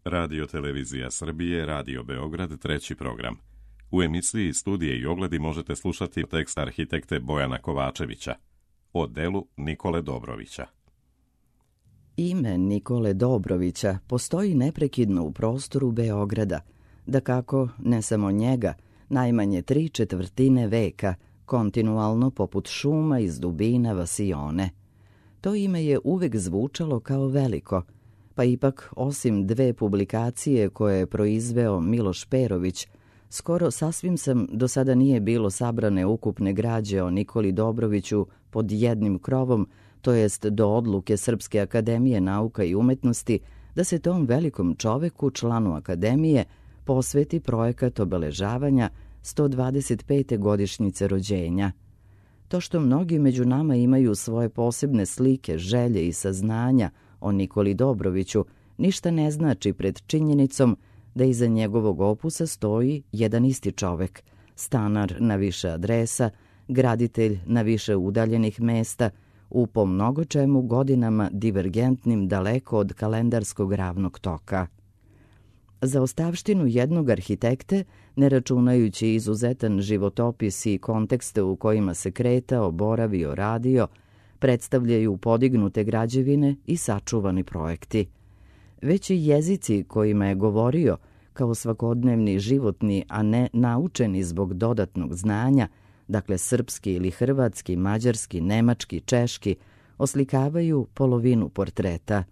Radio Televizija Srbije, Radio Beograd, treći program. U emisiji Studije i ogledi možete slušati tekst arhitekte Bojana Kovačevića o delu Nikole Dobrovića. Ime Nikole Dobrovića postoji neprekidno u prostoru Beograda, dakako ne samo njega, najmanje 3/4 veka, kontinualno poput šuma iz dubina vasione. To ime je uvek zvučalo kao veliko, pa ipak osim 2 publikacije koje je proizveo Miloš Perović, skoro sasvim sam do sada nije bilo sabrane ukupne građe o Nikoli Dobroviću pod jednim krovom, to jest do odluke Srpske akademije nauka i umetnosti da se tom velikom čoveku, članu akademije, posveti projekat obeležavanja 125. godišnjice rođenja. To što mnogi među nama imaju svoje posebne slike, želje i saznanja o Nikoli Dobroviću, ništa ne znači pred činjenicom da iza njegovog opusa stoji jedan isti čovek, stanar na više adresa, graditelj na više udaljenih mesta, u po mnogo čemu godinama divergentnim daleko od kalendarskog ravnog toka. Za ostavštinu jednog arhitekte, ne računajući izuzetan životopis i kontekste u kojima se kretao, boravio, radio, predstavljaju podignute građevine i sačuvani projekti. Već i jezici kojima je govorio, kao svakodnevni životni, a ne naučeni zbog dodatnog znanja, dakle srpski ili hrvatski, mađarski, nemački, češki, oslikavaju polovinu portreta.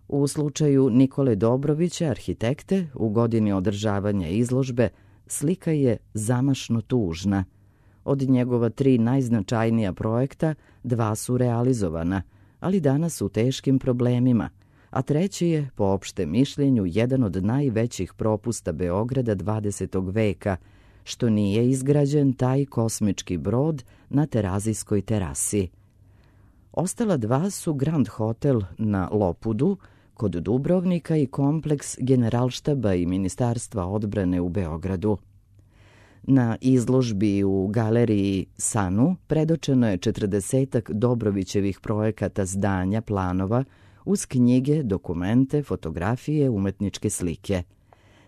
U slučaju Nikole Dobrovića, arhitekte, u godini održavanja izložbe, slika je zamašno tužna. Od njegova 3 najznačajnija projekta 2 su realizovana, ali danas u teškim problemima, a treći je, po opštem mišljenju, jedan od najvećih propusta Beograda 20. veka, što nije izgrađen taj kosmički brod na Terazijskoj terasi. Ostala 2 su Grand Hotel na Lopudu, kod Dubrovnika i kompleks Generalštaba i Ministarstva odbrane u Beogradu. Na izložbi u galeriji Sanu predočeno je 40 Dobrovićevih projekata, zdanja, planova, uz knjige, dokumente, fotografije, umetničke slike.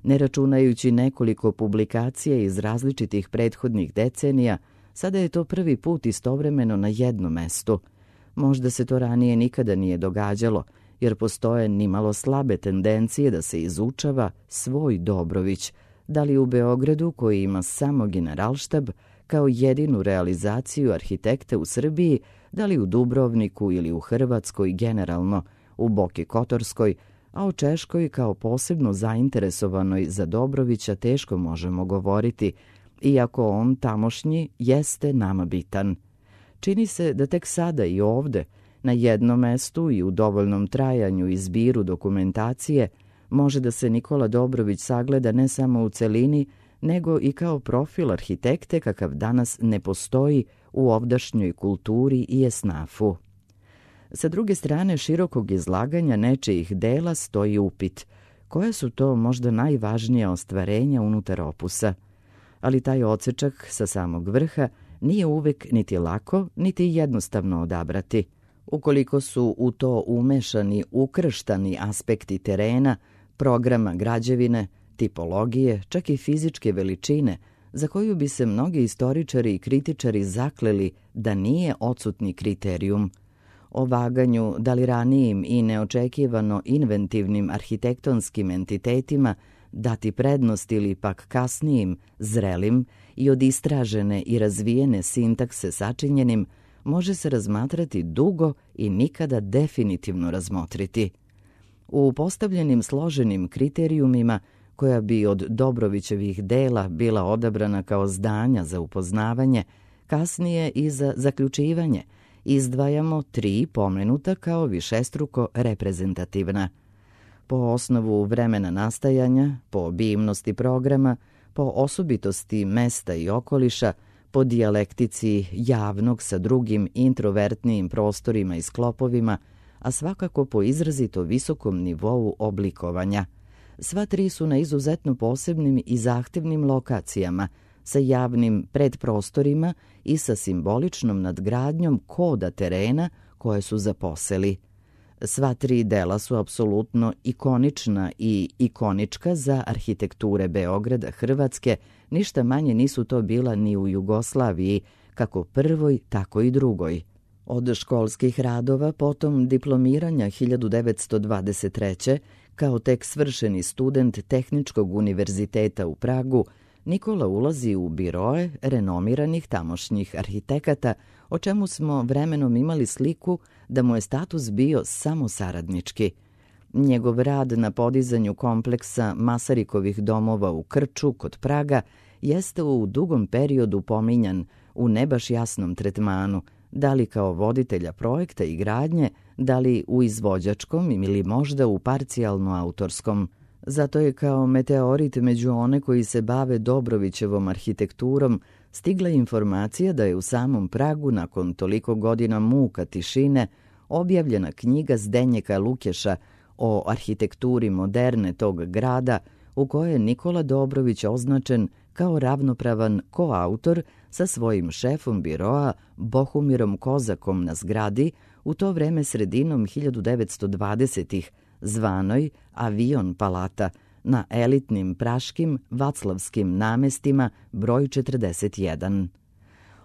Ne računajući nekoliko publikacija iz različitih prethodnih decenija, sada je to prvi put istovremeno na jednom mestu. Možda se to ranije nikada nije događalo, jer postoje nimalo slabe tendencije da se izučava svoj Dobrović, da li u Beogradu koji ima samo Generalštab kao jedinu realizaciju arhitekte u Srbiji, da li u Dubrovniku ili u Hrvatskoj generalno, u Boki Kotorskoj, a o Češkoj kao posebno zainteresovanoj za Dobrovića teško možemo govoriti, iako on tamošnji jeste nama bitan. Čini se da tek sada i ovde, na jednom mestu i u dovoljnom trajanju i zbiru dokumentacije, može da se Nikola Dobrović sagleda ne samo u celini, nego i kao profil arhitekte kakav danas ne postoji u ovdašnjoj kulturi i esnafu. Sa druge strane širokog izlaganja nečijih dela stoji upit, koja su to možda najvažnija ostvarenja unutar opusa. Ali taj odsečak sa samog vrha nije uvek niti lako, niti jednostavno odabrati. Ukoliko su u to umešani ukrštani aspekti terena, programa građevine, tipologije, čak i fizičke veličine, za koju bi se mnogi istoričari i kritičari zakleli da nije odsutni kriterijum. O vaganju da li ranijim i neočekivano inventivnim arhitektonskim entitetima dati prednost ili pak kasnijim, zrelim i od istražene i razvijene sintakse sačinjenim, može se razmatrati dugo i nikada definitivno razmotriti. U postavljenim složenim kriterijumima, koja bi od Dobrovićevih dela bila odabrana kao zdanja za upoznavanje, kasnije i za zaključivanje, izdvajamo 3 pomenuta kao višestruko reprezentativna. Po osnovu vremena nastajanja, po obimnosti programa, po osobitosti mesta i okoliša, po dijalektici javnog sa drugim introvertnijim prostorima i sklopovima, a svakako po izrazito visokom nivou oblikovanja. Sva 3 su na izuzetno posebnim i zahtevnim lokacijama, sa javnim predprostorima i sa simboličnom nadgradnjom koda terena koje su zaposeli. Sva tri dela su apsolutno ikonična i ikonička za arhitekture Beograda, Hrvatske, ništa manje nisu to bila ni u Jugoslaviji, kako prvoj, tako i drugoj. Od školskih radova, potom diplomiranja 1923. kao tek svršeni student Tehničkog univerziteta u Pragu, Nikola ulazi u biroe renomiranih tamošnjih arhitekata, o čemu smo vremenom imali sliku da mu je status bio samo saradnički. Njegov rad na podizanju kompleksa Masarikovih domova u Krču kod Praga jeste u dugom periodu pominjan u ne baš jasnom tretmanu, da li kao voditelja projekta i gradnje, da li u izvođačkom ili možda u parcijalno autorskom. Zato je kao meteorit među one koji se bave Dobrovićevom arhitekturom stigla informacija da je u samom Pragu nakon toliko godina muka tišine objavljena knjiga Zdenjeka Lukeša o arhitekturi moderne tog grada, u kojoj je Nikola Dobrović označen kao ravnopravan koautor sa svojim šefom biroa Bohumirom Kozakom na zgradi, u to vreme sredinom 1920-ih, zvanoj Avion Palata, na elitnim praškim Vaclavskim namestima broj 41.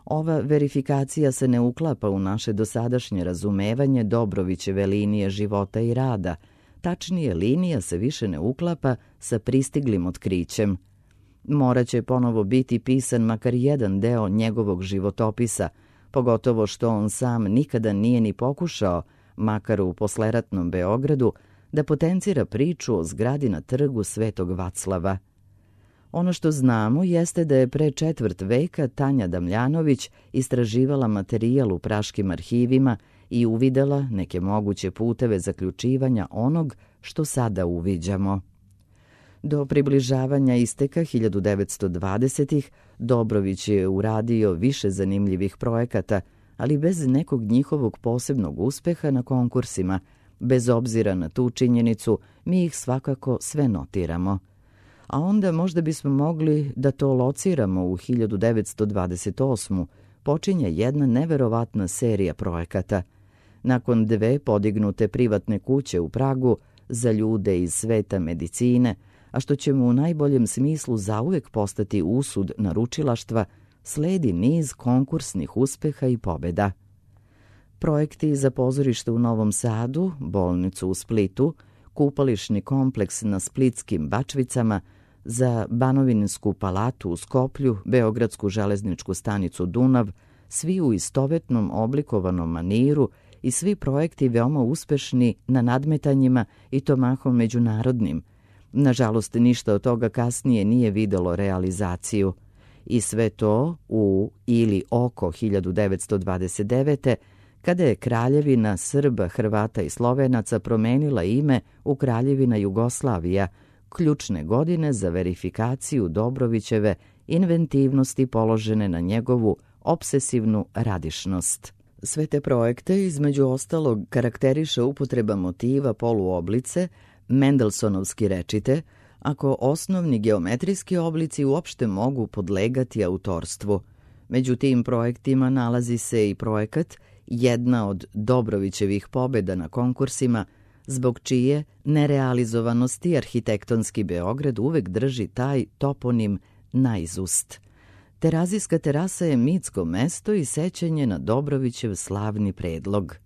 Ova verifikacija se ne uklapa u naše dosadašnje razumevanje Dobrovićeve linije života i rada. Tačnije, linija se više ne uklapa sa pristiglim otkrićem. Moraće ponovo biti pisan makar jedan deo njegovog životopisa, pogotovo što on sam nikada nije ni pokušao, makar u posleratnom Beogradu, da potencira priču o zgradi na trgu Svetog Vaclava. Ono što znamo jeste da je pre četvrt veka Tanja Damljanović istraživala materijal u praškim arhivima i uvidela neke moguće puteve zaključivanja onog što sada uviđamo. Do približavanja isteka 1920-ih Dobrović je uradio više zanimljivih projekata, ali bez nekog njihovog posebnog uspeha na konkursima. Bez obzira na tu činjenicu, mi ih svakako sve notiramo. A onda možda bismo mogli da to lociramo u 1928. Počinje jedna neverovatna serija projekata. Nakon dve podignute privatne kuće u Pragu za ljude iz sveta medicine, a što će mu u najboljem smislu zauvek postati usud naručilaštva, sledi niz konkursnih uspeha i pobeda. Projekti za pozorište u Novom Sadu, bolnicu u Splitu, kupališni kompleks na Splitskim Bačvicama, za Banovinsku palatu u Skoplju, Beogradsku železničku stanicu Dunav, svi u istovetnom oblikovanom maniru i svi projekti veoma uspešni na nadmetanjima i to mahom međunarodnim. Nažalost, ništa od toga kasnije nije videlo realizaciju. I sve to u ili oko 1929. kada je Kraljevina Srba, Hrvata i Slovenaca promenila ime u Kraljevina Jugoslavija, ključne godine za verifikaciju Dobrovićeve inventivnosti položene na njegovu obsesivnu radišnost. Sve te projekte, između ostalog, karakteriše upotreba motiva poluoblice, Mendelsonovski rečite, ako osnovni geometrijski oblici uopšte mogu podlegati autorstvu. Među tim projektima nalazi se i projekat, jedna od Dobrovićevih pobeda na konkursima, zbog čije nerealizovanosti arhitektonski Beograd uvek drži taj toponim naizust. Terazijska terasa je mitsko mesto i sećanje na Dobrovićev slavni predlog.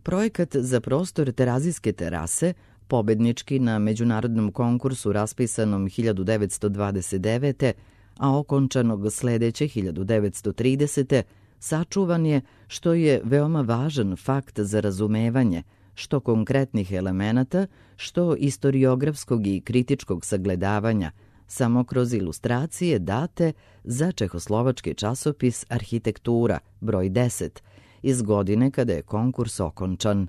Projekat za prostor Terazijske terase, pobednički na međunarodnom konkursu raspisanom 1929. a okončanog sledeće 1930. sačuvan je, što je veoma važan fakt za razumevanje, što konkretnih elemenata, što istoriografskog i kritičkog sagledavanja, samo kroz ilustracije date za čehoslovački časopis Arhitektura, broj 10, iz godine kada je konkurs okončan.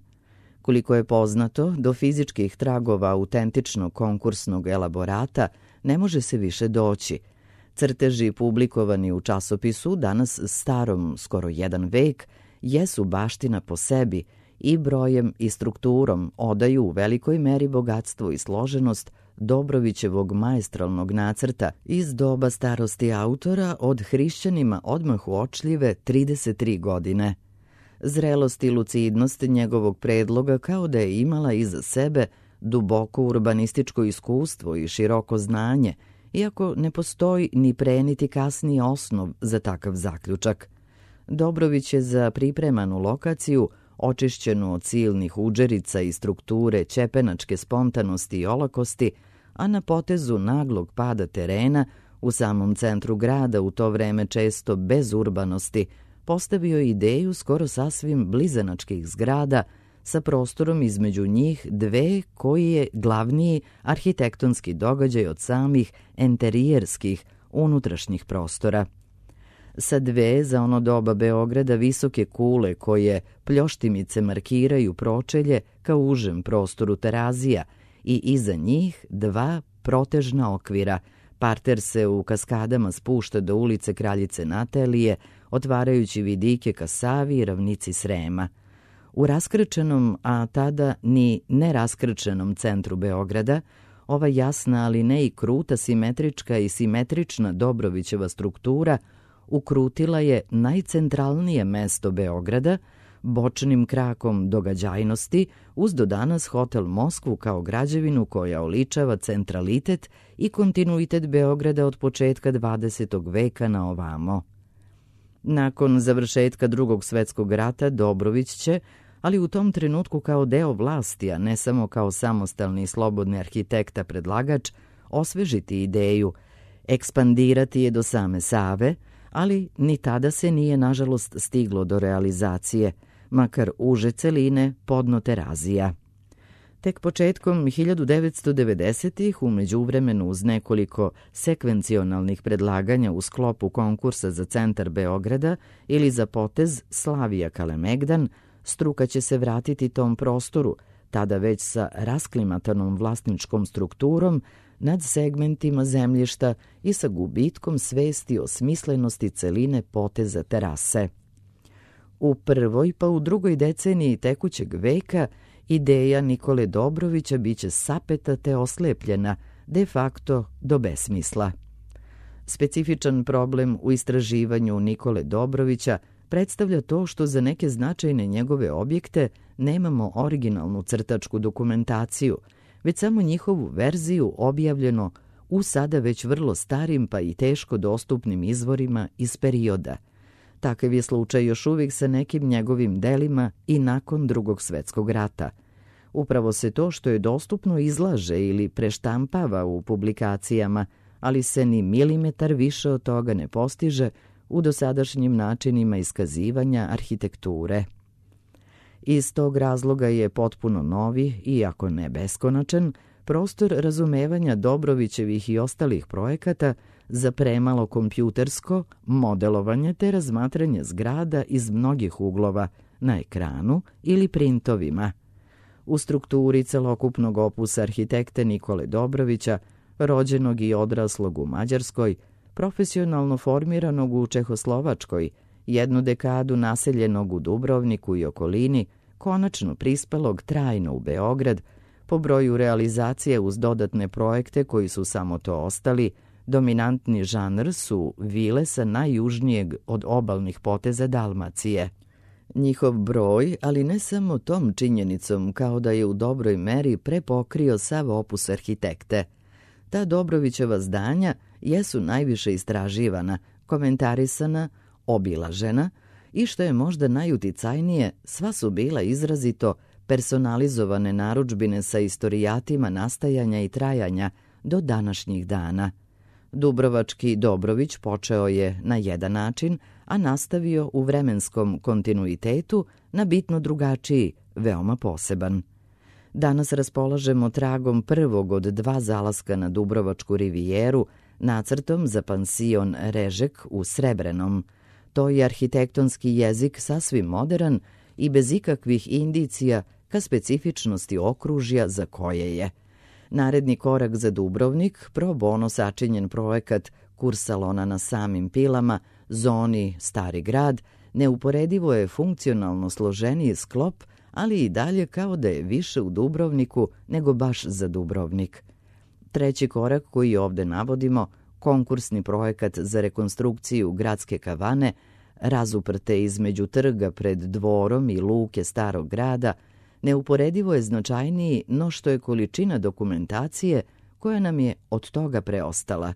Koliko je poznato, do fizičkih tragova autentičnog konkursnog elaborata ne može se više doći. Crteži publikovani u časopisu, danas starom skoro jedan vek, jesu baština po sebi i brojem i strukturom odaju u velikoj meri bogatstvo i složenost Dobrovićevog maestralnog nacrta iz doba starosti autora od hrišćanima odmah uočljive 33 godine. Zrelost i lucidnost njegovog predloga kao da je imala iza sebe duboko urbanističko iskustvo i široko znanje, iako ne postoji ni pre niti kasniji osnov za takav zaključak. Dobrović je za pripremanu lokaciju, očišćenu od silnih udžerica i strukture ćepenačke spontanosti i olakosti, a na potezu naglog pada terena, u samom centru grada, u to vreme često bez urbanosti, postavio ideju skoro sasvim blizanačkih zgrada sa prostorom između njih dve koji je glavniji arhitektonski događaj od samih enterijerskih unutrašnjih prostora. Sa dve za ono doba Beograda visoke kule koje pljoštimice markiraju pročelje ka užem prostoru Terazija i iza njih dva protežna okvira. Parter se u kaskadama spušta do ulice Kraljice Natelije, otvarajući vidike ka Savi i ravnici Srema. U raskrčenom, a tada ni neraskrčenom centru Beograda, ova jasna, ali ne i kruta, simetrička i simetrična Dobrovićeva struktura ukrutila je najcentralnije mesto Beograda, bočnim krakom događajnosti, uz do danas hotel Moskvu kao građevinu koja oličava centralitet i kontinuitet Beograda od početka 20. veka na ovamo. Nakon završetka Drugog svetskog rata Dobrović će, ali u tom trenutku kao deo vlasti, a ne samo kao samostalni i slobodni arhitekta predlagač, osvežiti ideju, ekspandirati je do same Save, ali ni tada se nije nažalost stiglo do realizacije, makar uže celine podno Terazija. Tek početkom 1990-ih, u međuvremenu uz nekoliko sekvencionalnih predlaganja u sklopu konkursa za centar Beograda ili za potez Slavija Kalemegdan, struka će se vratiti tom prostoru, tada već sa rasklimatanom vlasničkom strukturom, nad segmentima zemljišta i sa gubitkom svesti o smislenosti celine poteza terase. U prvoj pa u drugoj deceniji tekućeg veka ideja Nikole Dobrovića biće sapeta te oslepljena, de facto do besmisla. Specifičan problem u istraživanju Nikole Dobrovića predstavlja to što za neke značajne njegove objekte nemamo originalnu crtačku dokumentaciju, već samo njihovu verziju objavljeno u sada već vrlo starim pa i teško dostupnim izvorima iz perioda. Takav je slučaj još uvijek sa nekim njegovim delima i nakon Drugog svetskog rata. Upravo se to što je dostupno izlaže ili preštampava u publikacijama, ali se ni milimetar više od toga ne postiže u dosadašnjim načinima iskazivanja arhitekture. Iz tog razloga je potpuno novi, iako ne beskonačan, prostor razumevanja Dobrovićevih i ostalih projekata za premalo kompjutersko modelovanje te razmatranje zgrada iz mnogih uglova na ekranu ili printovima. U strukturi celokupnog opusa arhitekte Nikole Dobrovića, rođenog i odraslog u Mađarskoj, profesionalno formiranog u Čehoslovačkoj, jednu dekadu naseljenog u Dubrovniku i okolini, konačno prispelog trajno u Beograd, po broju realizacije uz dodatne projekte koji su samo to ostali, dominantni žanr su vile sa najjužnijeg od obalnih poteza Dalmacije. Njihov broj, ali ne samo tom činjenicom, kao da je u dobroj meri prepokrio sav opus arhitekte. Ta Dobrovićeva zdanja jesu najviše istraživana, komentarisana, obilažena i što je možda najuticajnije, sva su bila izrazito personalizovane narudžbine sa istorijatima nastajanja i trajanja do današnjih dana. Dubrovački Dobrović počeo je na jedan način, a nastavio u vremenskom kontinuitetu na bitno drugačiji, veoma poseban. Danas raspolažemo tragom prvog od dva zalaska na Dubrovačku rivijeru, nacrtom za pansion Režek u Srebrenom. To je arhitektonski jezik sasvim moderan i bez ikakvih indicija ka specifičnosti okružja za koje je. Naredni korak za Dubrovnik, pro bono sačinjen projekat Kursalona na samim Pilama, zoni Stari grad, neuporedivo je funkcionalno složeniji sklop, ali i dalje kao da je više u Dubrovniku nego baš za Dubrovnik. Treći korak koji ovde navodimo, konkursni projekat za rekonstrukciju gradske kavane, razuprte između trga pred dvorom i luke starog grada, neuporedivo je značajniji no što je količina dokumentacije koja nam je od toga preostala.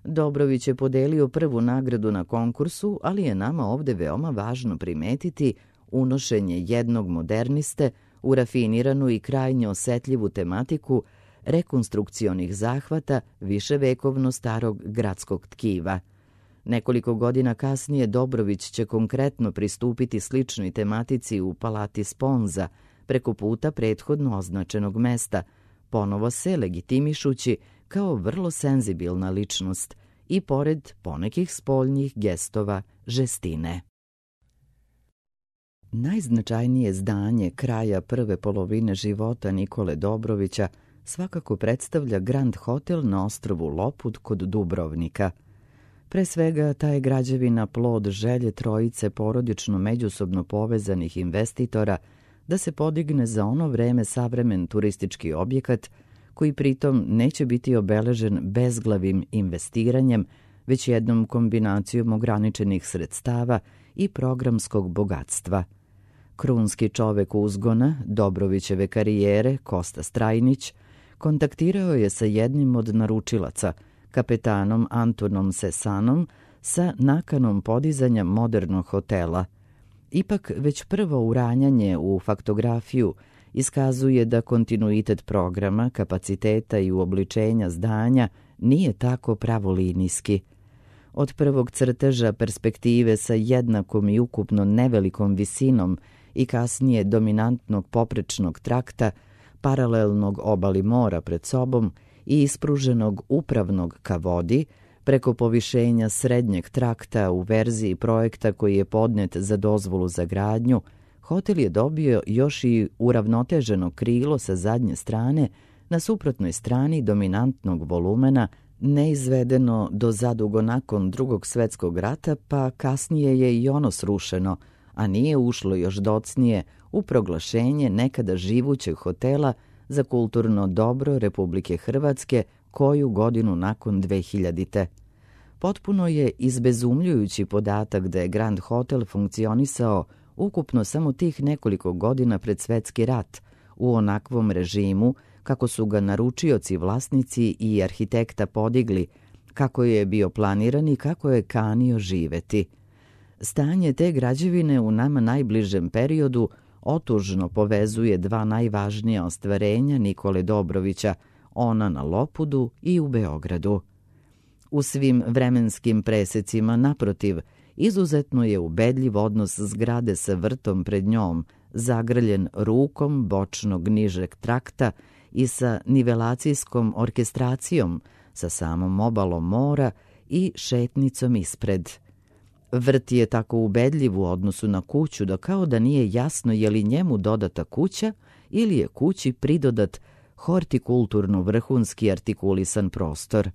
Dobrović je podelio prvu nagradu na konkursu, ali je nama ovde veoma važno primetiti unošenje jednog moderniste u rafiniranu i krajnje osetljivu tematiku rekonstrukcionih zahvata viševekovno starog gradskog tkiva. Nekoliko godina kasnije Dobrović će konkretno pristupiti sličnoj tematici u Palati Sponza, preko puta prethodno označenog mesta, ponovo se legitimišući kao vrlo senzibilna ličnost i pored ponekih spoljnih gestova žestine. Najznačajnije zdanje kraja prve polovine života Nikole Dobrovića svakako predstavlja Grand Hotel na ostrvu Lopud kod Dubrovnika. Pre svega, ta je građevina plod želje trojice porodično međusobno povezanih investitora da se podigne za ono vreme savremen turistički objekat koji pritom neće biti obeležen bezglavim investiranjem, već jednom kombinacijom ograničenih sredstava i programskog bogatstva. Krunski čovek uzgona Dobrovićeve karijere, Kosta Strajnić, kontaktirao je sa jednim od naručilaca, kapetanom Antonom Sesanom, sa nakanom podizanja modernog hotela. Ipak već prvo uranjanje u faktografiju iskazuje da kontinuitet programa, kapaciteta i uobličenja zdanja nije tako pravolinijski. Od prvog crteža perspektive sa jednakom i ukupno nevelikom visinom i kasnije dominantnog poprečnog trakta, paralelnog obali mora pred sobom i ispruženog upravnog ka vodi, preko povišenja srednjeg trakta u verziji projekta koji je podnet za dozvolu za gradnju, hotel je dobio još i uravnoteženo krilo sa zadnje strane na suprotnoj strani dominantnog volumena, neizvedeno do zadugo nakon Drugog svjetskog rata, pa kasnije je i ono srušeno, a nije ušlo još docnije u proglašenje nekada živućeg hotela za kulturno dobro Republike Hrvatske koju godinu nakon 2000. Potpuno je izbezumljujući podatak da je Grand Hotel funkcionisao ukupno samo tih nekoliko godina pred Svetski rat, u onakvom režimu kako su ga naručioci, vlasnici i arhitekta podigli, kako je bio planiran i kako je kanio živeti. Stanje te građevine u nama najbližem periodu otužno povezuje dva najvažnija ostvarenja Nikole Dobrovića, ona na Lopudu i u Beogradu. U svim vremenskim presecima, naprotiv, izuzetno je ubedljiv odnos zgrade sa vrtom pred njom, zagrljen rukom bočnog nižeg trakta i sa nivelacijskom orkestracijom, sa samom obalom mora i šetnicom ispred. Vrt je tako ubedljiv u odnosu na kuću da kao da nije jasno je li njemu dodata kuća ili je kući pridodat hortikulturno vrhunski artikulisan prostor.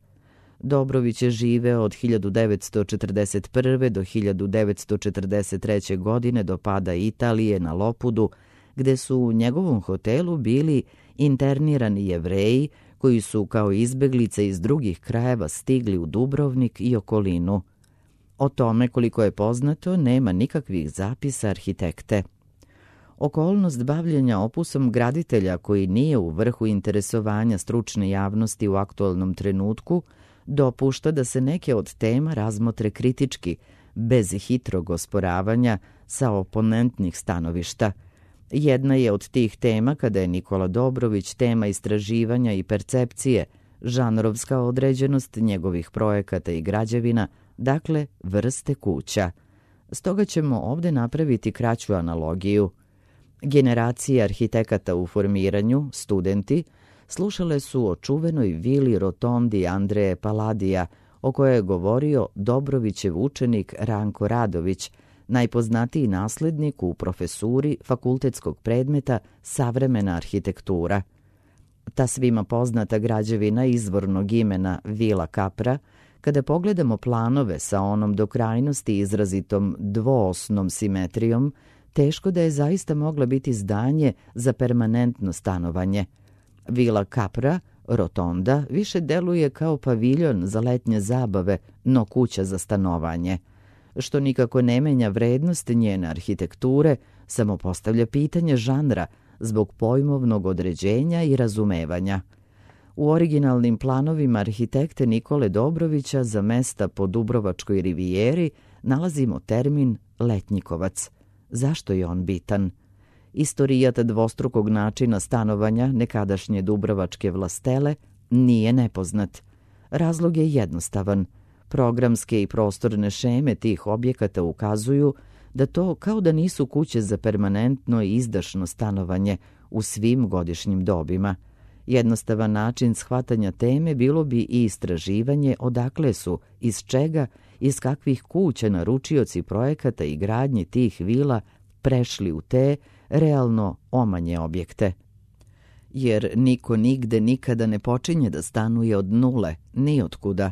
Dobrović je živeo od 1941. do 1943. godine do pada Italije na Lopudu, gde su u njegovom hotelu bili internirani Jevreji koji su kao izbeglice iz drugih krajeva stigli u Dubrovnik i okolinu. O tome, koliko je poznato, nema nikakvih zapisa arhitekte. Okolnost bavljenja opusom graditelja koji nije u vrhu interesovanja stručne javnosti u aktualnom trenutku dopušta da se neke od tema razmotre kritički, bez hitrog osporavanja sa oponentnih stanovišta. Jedna je od tih tema kada je Nikola Dobrović tema istraživanja i percepcije, žanrovska određenost njegovih projekata i građevina, dakle vrste kuća. Stoga ćemo ovde napraviti kraću analogiju. Generacije arhitekata u formiranju, studenti, slušale su o čuvenoj vili rotondi Andreje Paladija, o kojoj je govorio Dobrovićev učenik Ranko Radović, najpoznatiji naslednik u profesuri fakultetskog predmeta Savremena arhitektura. Ta svima poznata građevina izvornog imena Vila Kapra, kada pogledamo planove sa onom do krajnosti izrazitom dvoosnom simetrijom, teško da je zaista mogla biti zdanje za permanentno stanovanje. Vila Kapra, rotonda, više deluje kao paviljon za letnje zabave, no kuća za stanovanje. što nikako ne menja vrednost njene arhitekture, samo postavlja pitanje žanra zbog pojmovnog određenja i razumevanja. U originalnim planovima arhitekte Nikole Dobrovića za mesta po Dubrovačkoj rivijeri nalazimo termin letnjikovac. Zašto je on bitan? Istorijat dvostrukog načina stanovanja nekadašnje dubrovačke vlastele nije nepoznat. Razlog je jednostavan. Programske i prostorne šeme tih objekata ukazuju da to kao da nisu kuće za permanentno i izdašno stanovanje u svim godišnjim dobima. Jednostavan način shvatanja teme bilo bi i istraživanje odakle su, iz čega, iz kakvih kuća naručioci projekata i gradnje tih vila prešli u te realno omanje objekte. Jer niko nigde nikada ne počinje da stanuje od nule, ni otkuda.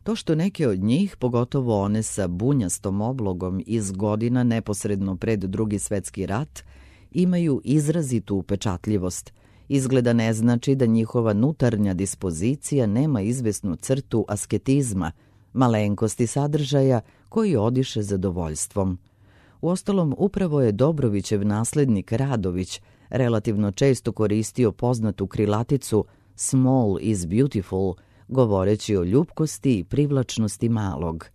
To što neke od njih, pogotovo one sa bunjastom oblogom iz godina neposredno pred Drugi svetski rat, imaju izrazitu upečatljivost, izgleda ne znači da njihova nutarnja dispozicija nema izvesnu crtu asketizma, malenkosti sadržaja koji odiše zadovoljstvom. Uostalom, upravo je Dobrovićev naslednik Radović relativno često koristio poznatu krilaticu "Small is beautiful", govoreći o ljupkosti i privlačnosti malog.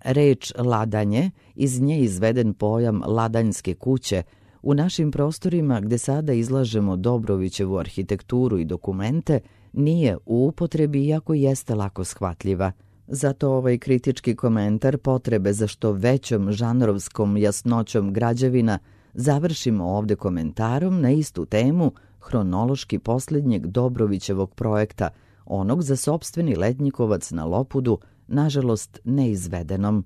Reč ladanje, iz nje izveden pojam ladanjske kuće, u našim prostorima gde sada izlažemo Dobrovićevu arhitekturu i dokumente, nije u upotrebi iako jeste lako shvatljiva. Zato ovaj kritički komentar potrebe za što većom žanrovskom jasnoćom građevina završimo ovde komentarom na istu temu hronološki posljednjeg Dobrovićevog projekta, onog za sopstveni letnjikovac na Lopudu, nažalost neizvedenom.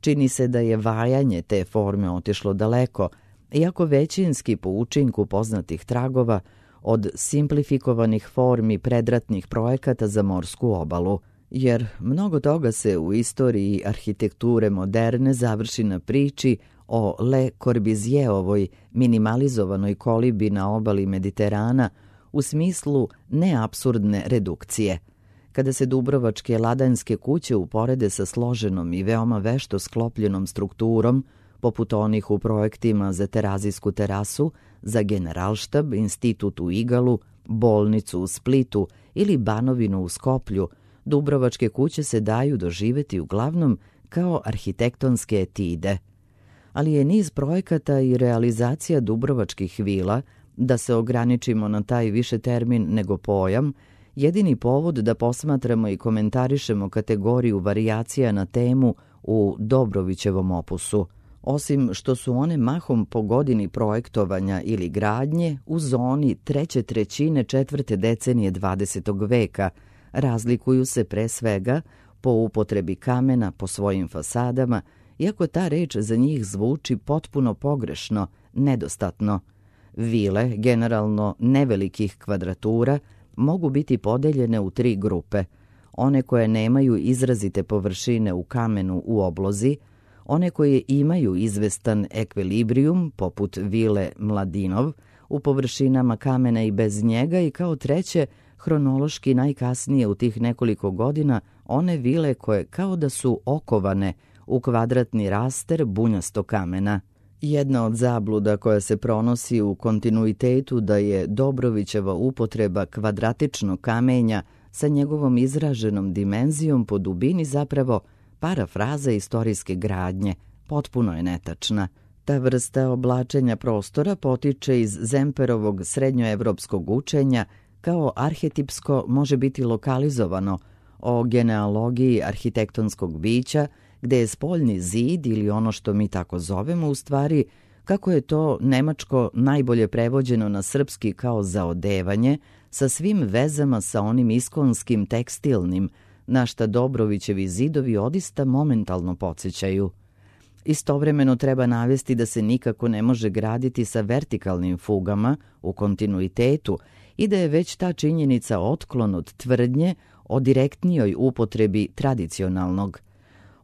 Čini se da je vajanje te forme otišlo daleko, iako većinski po učinku poznatih tragova od simplifikovanih formi predratnih projekata za morsku obalu, jer mnogo toga se u istoriji arhitekture moderne završi na priči o Le Corbusierovoj minimalizovanoj kolibi na obali Mediterana u smislu neapsurdne redukcije. Kada se dubrovačke ladanjske kuće uporede sa složenom i veoma vešto sklopljenom strukturom, poput onih u projektima za Terazijsku terasu, za Generalštab, institut u Igalu, bolnicu u Splitu ili Banovinu u Skoplju, dubrovačke kuće se daju doživeti uglavnom kao arhitektonske etide. Ali je niz projekata i realizacija dubrovačkih vila, da se ograničimo na taj više termin nego pojam, jedini povod da posmatramo i komentarišemo kategoriju varijacija na temu u Dobrovićevom opusu. Osim što su one mahom po godini projektovanja ili gradnje u zoni treće trećine četvrte decenije 20. veka, razlikuju se pre svega po upotrebi kamena po svojim fasadama, iako ta reč za njih zvuči potpuno pogrešno, nedostatno. Vile, generalno nevelikih kvadratura, mogu biti podeljene u 3 grupe. One koje nemaju izrazite površine u kamenu u oblozi, one koje imaju izvestan ekvilibrijum, poput vile Mladinov, u površinama kamena i bez njega, i kao treće, hronološki najkasnije u tih nekoliko godina, one vile koje kao da su okovane u kvadratni raster bunjasto kamena. Jedna od zabluda koja se pronosi u kontinuitetu da je Dobrovićeva upotreba kvadratičnog kamenja sa njegovom izraženom dimenzijom po dubini zapravo parafraza istorijske gradnje, potpuno je netačna. Ta vrsta oblačenja prostora potiče iz Zemperovog srednjoevropskog učenja, kao arhetipsko može biti lokalizovano o genealogiji arhitektonskog bića, gde je spoljni zid ili ono što mi tako zovemo u stvari, kako je to nemačko najbolje prevođeno na srpski kao zaodevanje, sa svim vezama sa onim iskonskim tekstilnim, na šta Dobrovićevi zidovi odista momentalno podsjećaju. Istovremeno treba navesti da se nikako ne može graditi sa vertikalnim fugama u kontinuitetu i da je već ta činjenica otklon od tvrdnje o direktnijoj upotrebi tradicionalnog.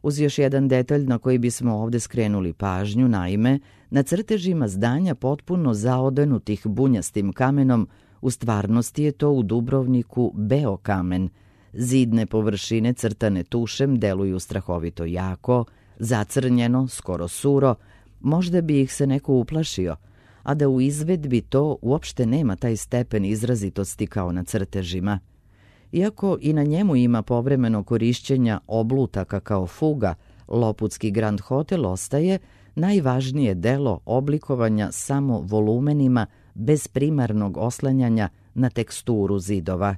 Uz još jedan detalj na koji bismo ovde skrenuli pažnju, naime, na crtežima zdanja potpuno zaodenutih bunjastim kamenom, u stvarnosti je to u Dubrovniku beo kamen. Zidne površine crtane tušem deluju strahovito jako, zacrnjeno, skoro suro, možda bi ih se neko uplašio, a da u izvedbi to uopšte nema taj stepen izrazitosti kao na crtežima. Iako i na njemu ima povremeno korišćenja oblutaka kao fuga, Loputski Grand Hotel ostaje najvažnije delo oblikovanja samo volumenima bez primarnog oslanjanja na teksturu zidova.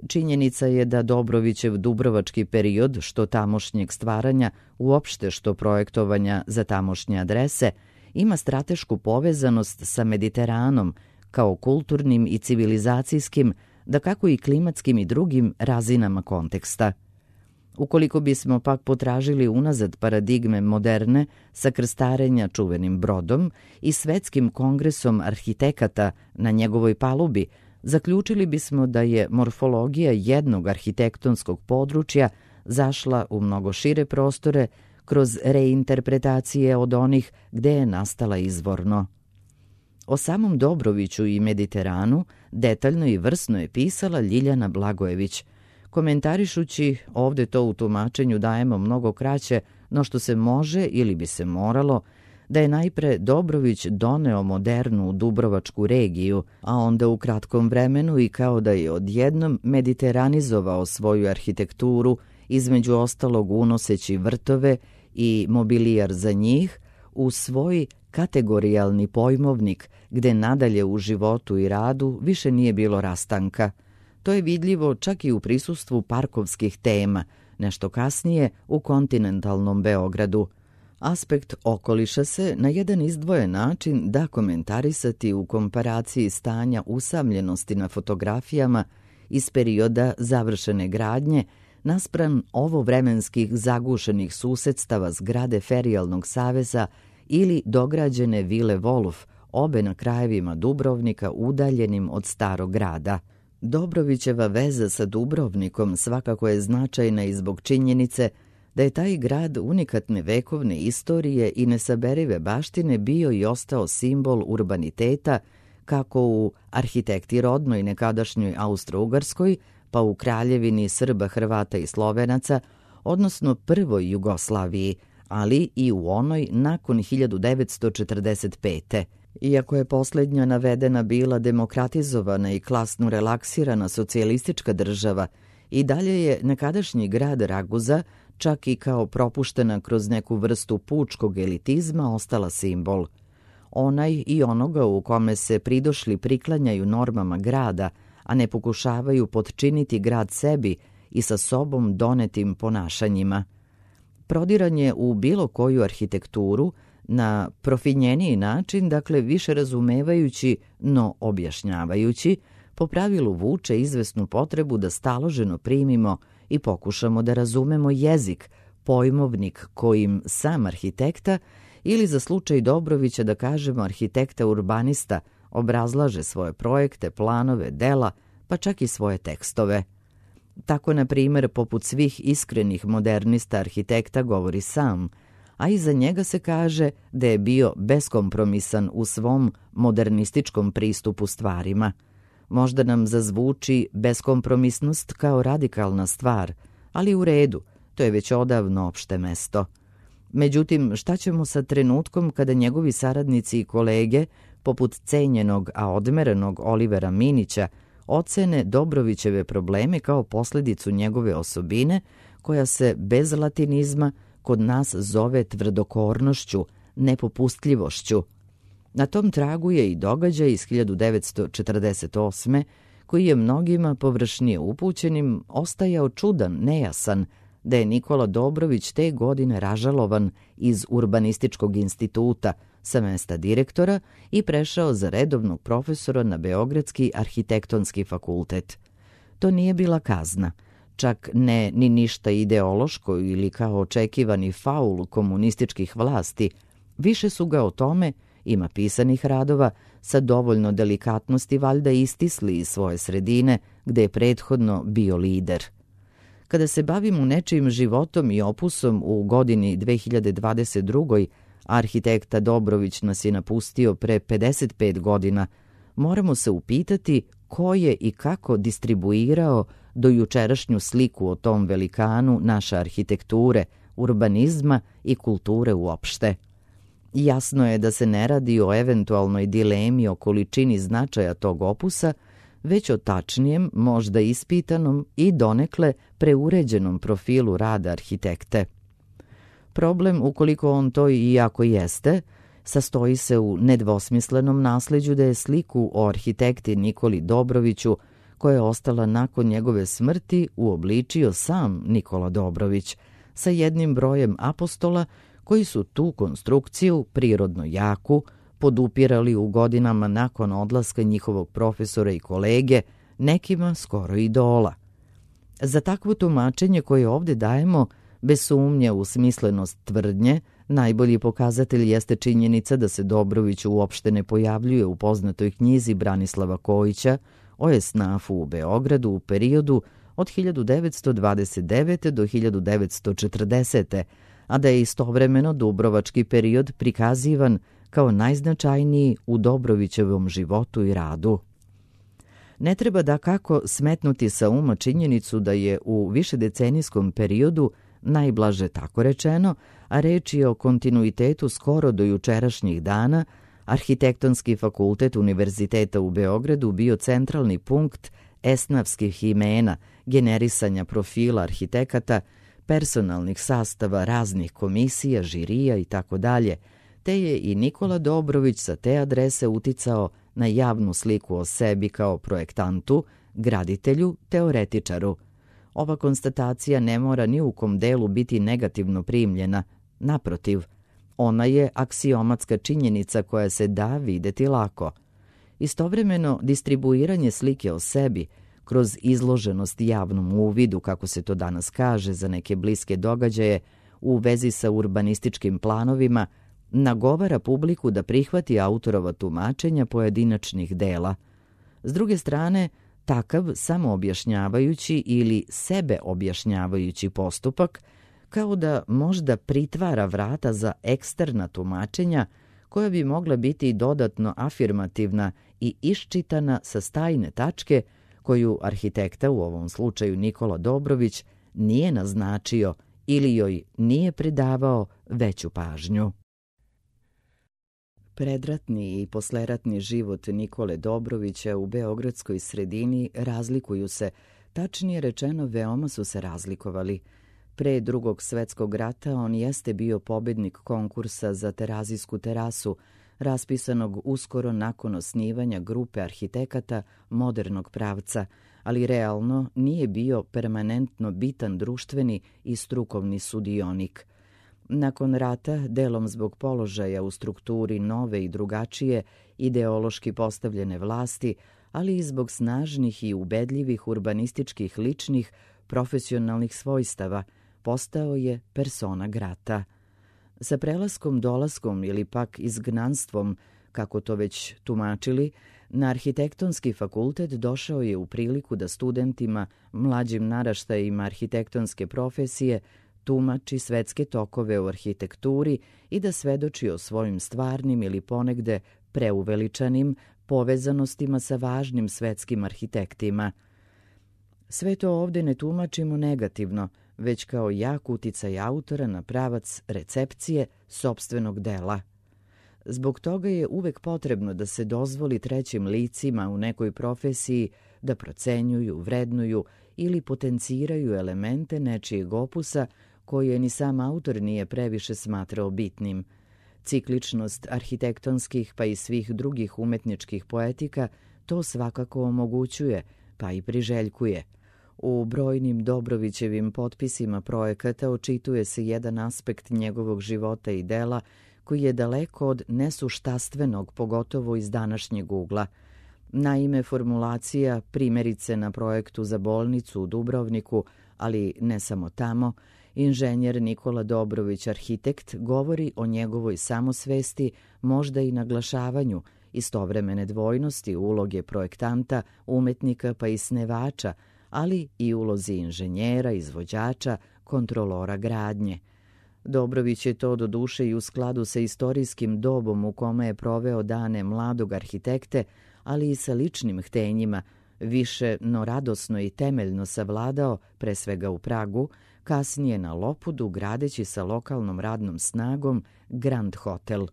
Činjenica je da Dobrovićev dubrovački period, što tamošnjeg stvaranja, uopšte što projektovanja za tamošnje adrese, ima stratešku povezanost sa Mediteranom kao kulturnim i civilizacijskim, da kako i klimatskim i drugim razinama konteksta. Ukoliko bismo pak potražili unazad paradigme moderne sa krstarenja čuvenim brodom i svetskim kongresom arhitekata na njegovoj palubi, zaključili bismo da je morfologija jednog arhitektonskog područja zašla u mnogo šire prostore kroz reinterpretacije od onih gde je nastala izvorno. O samom Dobroviću i Mediteranu detaljno i vrsno je pisala Ljiljana Blagojević, komentarišući, ovde to u tumačenju dajemo mnogo kraće, no što se može ili bi se moralo, da je najpre Dobrović doneo modernu dubrovačku regiju, a onda u kratkom vremenu i kao da je odjednom mediteranizovao svoju arhitekturu, između ostalog unoseći vrtove i mobilijar za njih, u svoj kategorijalni pojmovnik, gde nadalje u životu i radu više nije bilo rastanka. To je vidljivo čak i u prisustvu parkovskih tema, nešto kasnije u kontinentalnom Beogradu. Aspekt okoliša se na jedan izdvojen način da komentarisati u komparaciji stanja usamljenosti na fotografijama iz perioda završene gradnje naspram ovovremenskih zagušenih susedstava zgrade Ferijalnog saveza ili dograđene vile Wolf, obe na krajevima Dubrovnika udaljenim od starog grada. Dobrovićeva veza sa Dubrovnikom svakako je značajna i zbog činjenice da je taj grad unikatne vekovne istorije i nesaberive baštine bio i ostao simbol urbaniteta kako u arhitekti rodnoj nekadašnjoj Austro-Ugarskoj, pa u kraljevini Srba, Hrvata i Slovenaca, odnosno prvoj Jugoslaviji, ali i u onoj nakon 1945. Iako je posljednja navedena bila demokratizovana i klasno relaksirana socijalistička država, i dalje je nekadašnji grad Raguza, čak i kao propuštena kroz neku vrstu pučkog elitizma, ostala simbol. Onaj i onoga u kome se pridošli priklanjaju normama grada, a ne pokušavaju potčiniti grad sebi i sa sobom donetim ponašanjima. Prodiranje u bilo koju arhitekturu na profinjeniji način, dakle više razumevajući, no objašnjavajući, po pravilu vuče izvesnu potrebu da staloženo primimo i pokušamo da razumemo jezik, pojmovnik kojim sam arhitekta, ili za slučaj Dobrovića da kažemo arhitekta urbanista, obrazlaže svoje projekte, planove, dela, pa čak i svoje tekstove. Tako, na primjer, poput svih iskrenih modernista arhitekta govori sam, a iza njega se kaže da je bio beskompromisan u svom modernističkom pristupu stvarima. Možda nam zazvuči beskompromisnost kao radikalna stvar, ali u redu, to je već odavno opšte mesto. Međutim, šta ćemo sa trenutkom kada njegovi saradnici i kolege, poput cenjenog, a odmerenog Olivera Minića, ocene Dobrovićeve probleme kao posljedicu njegove osobine, koja se bez latinizma kod nas zove tvrdokornošću, nepopustljivošću. Na tom tragu je i događaj iz 1948. koji je mnogima površnije upućenim ostajao čudan, nejasan, da je Nikola Dobrović te godine ražalovan iz Urbanističkog instituta sa mesta direktora i prešao za redovnog profesora na Beogradski arhitektonski fakultet. To nije bila kazna, čak ne ni ništa ideološko ili kao očekivani faul komunističkih vlasti. Više su ga o tome, ima pisanih radova, sa dovoljno delikatnosti valjda istisli iz svoje sredine gde je prethodno bio lider. Kada se bavimo nečijim životom i opusom u godini 2022. Arhitekta Dobrović nas je napustio pre 55 godina, moramo se upitati ko je i kako distribuirao do jučerašnju sliku o tom velikanu naše arhitekture urbanizma i kulture uopšte. Jasno je da se ne radi o eventualnoj dilemi o količini značaja tog opusa, već o tačnijem, možda ispitanom i donekle preuređenom profilu rada arhitekte. Problem, ukoliko on to i ako jeste, sastoji se u nedvosmislenom nasleđu da je sliku o arhitekti Nikoli Dobroviću, koja je ostala nakon njegove smrti, uobličio sam Nikola Dobrović, sa jednim brojem apostola koji su tu konstrukciju, prirodno jaku, podupirali u godinama nakon odlaska njihovog profesora i kolege, nekima skoro idola. Za takvo tumačenje koje ovdje dajemo, bez sumnje u smislenost tvrdnje, najbolji pokazatelj jeste činjenica da se Dobrović uopšte ne pojavljuje u poznatoj knjizi Branislava Kojića o esnafu u Beogradu u periodu od 1929. do 1940. a da je istovremeno dubrovački period prikazivan kao najznačajniji u Dobrovićevom životu i radu. Ne treba dakako smetnuti sa uma činjenicu da je u višedecenijskom periodu, najblaže tako rečeno, a reč je o kontinuitetu skoro do jučerašnjih dana, Arhitektonski fakultet Univerziteta u Beogradu bio centralni punkt esnafskih imena, generisanja profila arhitekata, personalnih sastava raznih komisija, žirija itd., te je i Nikola Dobrović sa te adrese uticao na javnu sliku o sebi kao projektantu, graditelju, teoretičaru. Ova konstatacija ne mora ni u kom delu biti negativno primljena, naprotiv, ona je aksiomatska činjenica koja se da videti lako. Istovremeno, distribuiranje slike o sebi kroz izloženost javnom uvidu, kako se to danas kaže za neke bliske događaje, u vezi sa urbanističkim planovima, nagovara publiku da prihvati autorova tumačenja pojedinačnih dela. S druge strane, takav samoobjašnjavajući ili sebeobjašnjavajući postupak kao da možda pritvara vrata za eksterna tumačenja koja bi mogla biti dodatno afirmativna i iščitana sa stajne tačke koju arhitekta, u ovom slučaju Nikola Dobrović, nije naznačio ili joj nije pridavao veću pažnju. Predratni i posleratni život Nikole Dobrovića u beogradskoj sredini razlikuju se, tačnije rečeno veoma su se razlikovali. Pre Drugog svetskog rata on jeste bio pobednik konkursa za Terazijsku terasu, raspisanog uskoro nakon osnivanja grupe arhitekata modernog pravca, ali realno nije bio permanentno bitan društveni i strukovni sudionik. Nakon rata, delom zbog položaja u strukturi nove i drugačije, ideološki postavljene vlasti, ali i zbog snažnih i ubedljivih urbanističkih ličnih, profesionalnih svojstava, postao je persona grata. Sa prelaskom, dolaskom ili pak izgnanstvom, kako to već tumačili, na Arhitektonski fakultet došao je u priliku da studentima, mlađim naraštajima arhitektonske profesije, tumači svetske tokove u arhitekturi i da svedoči o svojim stvarnim ili ponegde preuveličanim povezanostima sa važnim svetskim arhitektima. Sve to ovdje ne tumačimo negativno, već kao jak uticaj autora na pravac recepcije sopstvenog dela. Zbog toga je uvek potrebno da se dozvoli trećim licima u nekoj profesiji da procenjuju, vrednuju ili potenciraju elemente nečijeg opusa koje ni sam autor nije previše smatrao bitnim. Cikličnost arhitektonskih pa i svih drugih umetničkih poetika to svakako omogućuje, pa i priželjkuje. U brojnim Dobrovićevim potpisima projekata očituje se jedan aspekt njegovog života i dela koji je daleko od nesuštastvenog, pogotovo iz današnjeg ugla. Naime, formulacija, primjerice na projektu za bolnicu u Dubrovniku, ali ne samo tamo, inženjer Nikola Dobrović, arhitekt, govori o njegovoj samosvesti, možda i naglašavanju istovremene dvojnosti uloge projektanta, umetnika pa i snevača, ali i ulozi inženjera, izvođača, kontrolora gradnje. Dobrović je to doduše i u skladu sa istorijskim dobom u kome je proveo dane mladog arhitekte, ali i sa ličnim htenjima, više no radosno i temeljno savladao, pre svega u Pragu, kasnije na Lopudu, gradeći sa lokalnom radnom snagom Grand Hotel.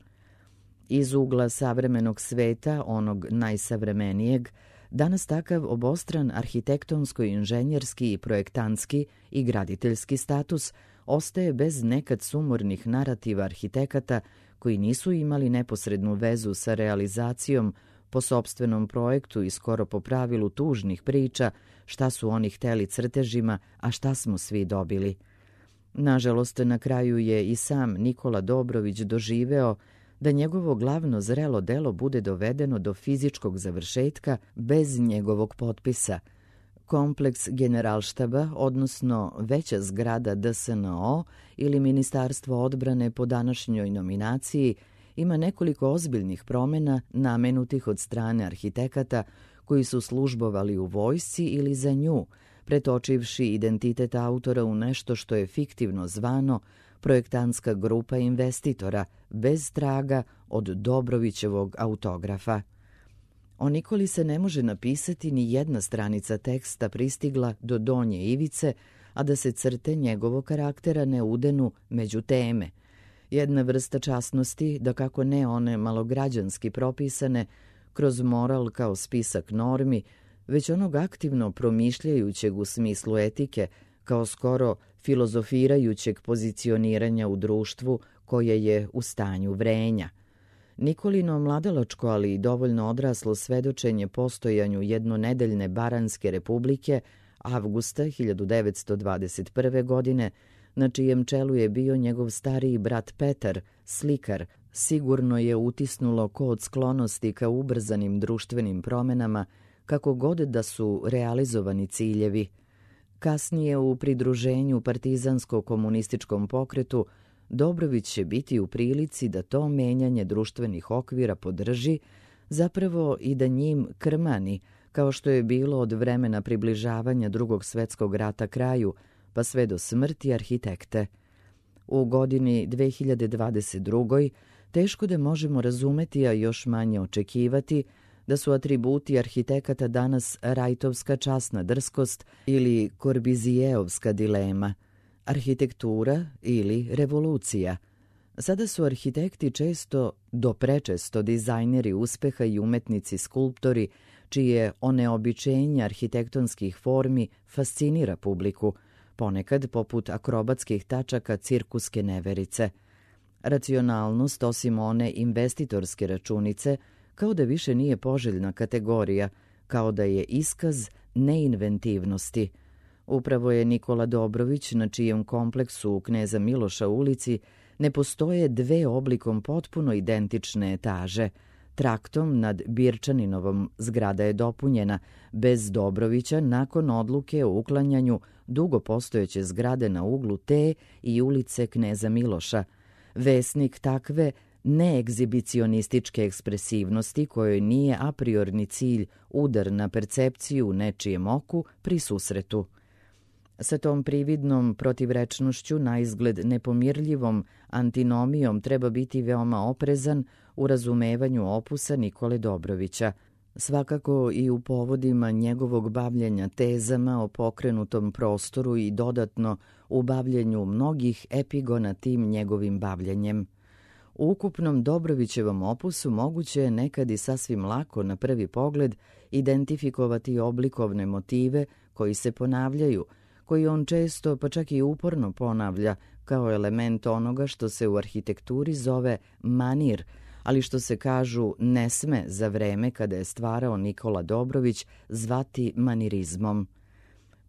Iz ugla savremenog sveta, onog najsavremenijeg, danas takav obostran arhitektonsko-inženjerski i projektantski i graditeljski status ostaje bez nekad sumornih narativa arhitekata koji nisu imali neposrednu vezu sa realizacijom po sopstvenom projektu i skoro po pravilu tužnih priča šta su oni hteli crtežima, a šta smo svi dobili. Nažalost, na kraju je i sam Nikola Dobrović doživeo da njegovo glavno zrelo delo bude dovedeno do fizičkog završetka bez njegovog potpisa. Kompleks Generalštaba, odnosno veća zgrada DSNO ili Ministarstvo odbrane po današnjoj nominaciji, ima nekoliko ozbiljnih promjena namenutih od strane arhitekata koji su službovali u vojsci ili za nju, pretočivši identitet autora u nešto što je fiktivno zvano projektantska grupa investitora, bez traga od Dobrovićevog autografa. O Nikoli se ne može napisati ni jedna stranica teksta pristigla do donje ivice, a da se crte njegovog karaktera ne udenu među teme. Jedna vrsta časnosti, da kako ne one malograđanski propisane, kroz moral kao spisak normi, već onog aktivno promišljajućeg u smislu etike, kao skoro filozofirajućeg pozicioniranja u društvu koje je u stanju vrenja. Nikolino mladalačko, ali i dovoljno odraslo svedočenje postojanju jednonedeljne Baranske republike avgusta 1921. godine, na čijem čelu je bio njegov stariji brat Petar, slikar, sigurno je utisnulo kod sklonosti ka ubrzanim društvenim promenama, kako god da su realizovani ciljevi. Kasnije u pridruženju partizansko-komunističkom pokretu Dobrović će biti u prilici da to menjanje društvenih okvira podrži, zapravo i da njim krmani, kao što je bilo od vremena približavanja Drugog svjetskog rata kraju, pa sve do smrti arhitekte. U godini 2022. teško da možemo razumeti, a još manje očekivati, da su atributi arhitekata danas rajtovska časna drskost ili korbizijevska dilema, arhitektura ili revolucija. Sada su arhitekti često, do prečesto, dizajneri uspeha i umetnici skulptori, čije oneobičenje arhitektonskih formi fascinira publiku, ponekad poput akrobatskih tačaka cirkuske neverice. Racionalnost, osim one investitorske računice, kao da više nije poželjna kategorija, kao da je iskaz neinventivnosti. Upravo je Nikola Dobrović, na čijem kompleksu u Kneza Miloša ulici ne postoje dve oblikom potpuno identične etaže. Traktom nad Birčaninovom zgrada je dopunjena, bez Dobrovića, nakon odluke o uklanjanju dugo postojeće zgrade na uglu te i ulice Kneza Miloša. Vesnik takve neegzibicionističke ekspresivnosti, kojoj nije a priorni cilj udar na percepciju u nečijem oku pri susretu. Sa tom prividnom protivrečnošću, naizgled nepomirljivom antinomijom, treba biti veoma oprezan u razumevanju opusa Nikole Dobrovića, svakako i u povodima njegovog bavljenja tezama o pokrenutom prostoru i dodatno u bavljenju mnogih epigona tim njegovim bavljenjem. U ukupnom Dobrovićevom opusu moguće je nekad i sasvim lako na prvi pogled identifikovati oblikovne motive koji se ponavljaju, koji on često, pa čak i uporno ponavlja kao element onoga što se u arhitekturi zove manir, ali što se, kažu, ne sme za vreme kada je stvarao Nikola Dobrović zvati manirizmom.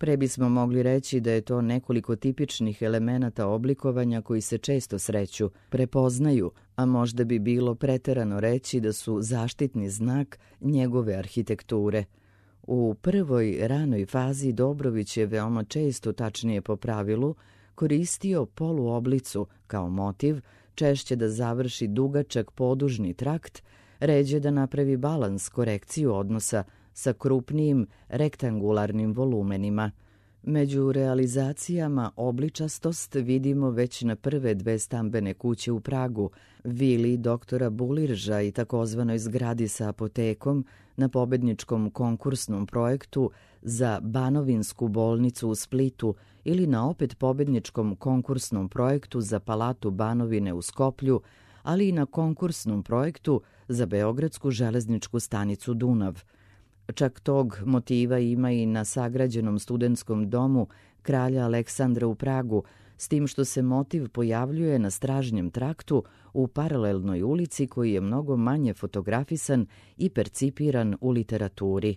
Pre bismo mogli reći da je to nekoliko tipičnih elemenata oblikovanja koji se često sreću, prepoznaju, a možda bi bilo preterano reći da su zaštitni znak njegove arhitekture. U prvoj ranoj fazi Dobrović je veoma često, tačnije po pravilu, koristio poluoblicu kao motiv, češće da završi dugačak podužni trakt, ređe da napravi balans, korekciju odnosa sa krupnijim rektangularnim volumenima. Među realizacijama obličastost vidimo već na prve 2 stambene kuće u Pragu, vili doktora Bulirža i takozvanoj zgradi sa apotekom na pobedničkom konkursnom projektu za Banovinsku bolnicu u Splitu ili na opet pobedničkom konkursnom projektu za Palatu Banovine u Skoplju, ali i na konkursnom projektu za Beogradsku železničku stanicu Dunav. Čak tog motiva ima i na sagrađenom studentskom domu kralja Aleksandra u Pragu, s tim što se motiv pojavljuje na stražnjem traktu u paralelnoj ulici koji je mnogo manje fotografisan i percipiran u literaturi.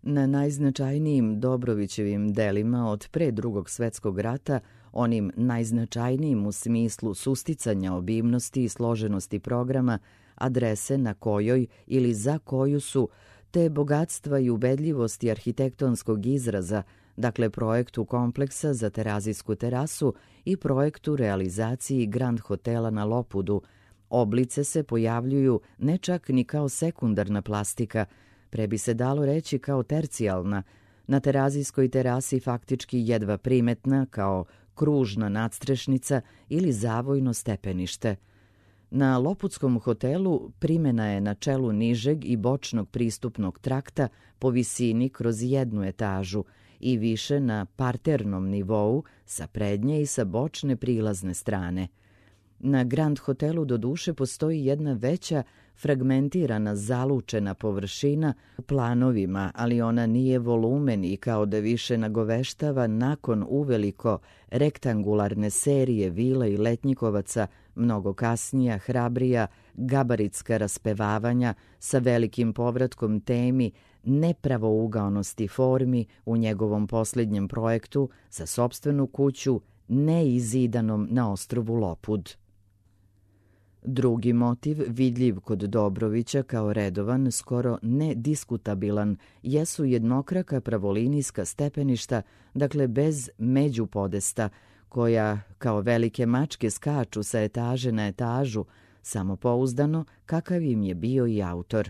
Na najznačajnijim Dobrovićevim delima od pre Drugog svjetskog rata, onim najznačajnijim u smislu susticanja obimnosti i složenosti programa, adrese na kojoj ili za koju su, te bogatstva i ubedljivosti arhitektonskog izraza, dakle projektu kompleksa za Terazijsku terasu i projektu realizaciji Grand hotela na Lopudu, oblice se pojavljuju ne čak ni kao sekundarna plastika, pre bi se dalo reći kao tercijalna, na Terazijskoj terasi faktički jedva primetna kao kružna nadstrešnica ili zavojno stepenište. Na Lopudskom hotelu primena je na čelu nižeg i bočnog pristupnog trakta po visini kroz 1 etažu i više na parternom nivou sa prednje i sa bočne prilazne strane. Na Grand hotelu doduše postoji jedna veća fragmentirana zalučena površina u planovima, ali ona nije volumen i kao da više nagoveštava nakon uveliko rektangularne serije vila i letnjikovaca mnogo kasnija, hrabrija, gabaritska raspevavanja sa velikim povratkom temi nepravougaonosti formi u njegovom posljednjem projektu za sopstvenu kuću neizidanom na ostrvu Lopud. Drugi motiv, vidljiv kod Dobrovića kao redovan, skoro nediskutabilan, jesu jednokraka pravolinijska stepeništa, dakle bez međupodesta, koja kao velike mačke skaču sa etaže na etažu, samopouzdano kakav im je bio i autor.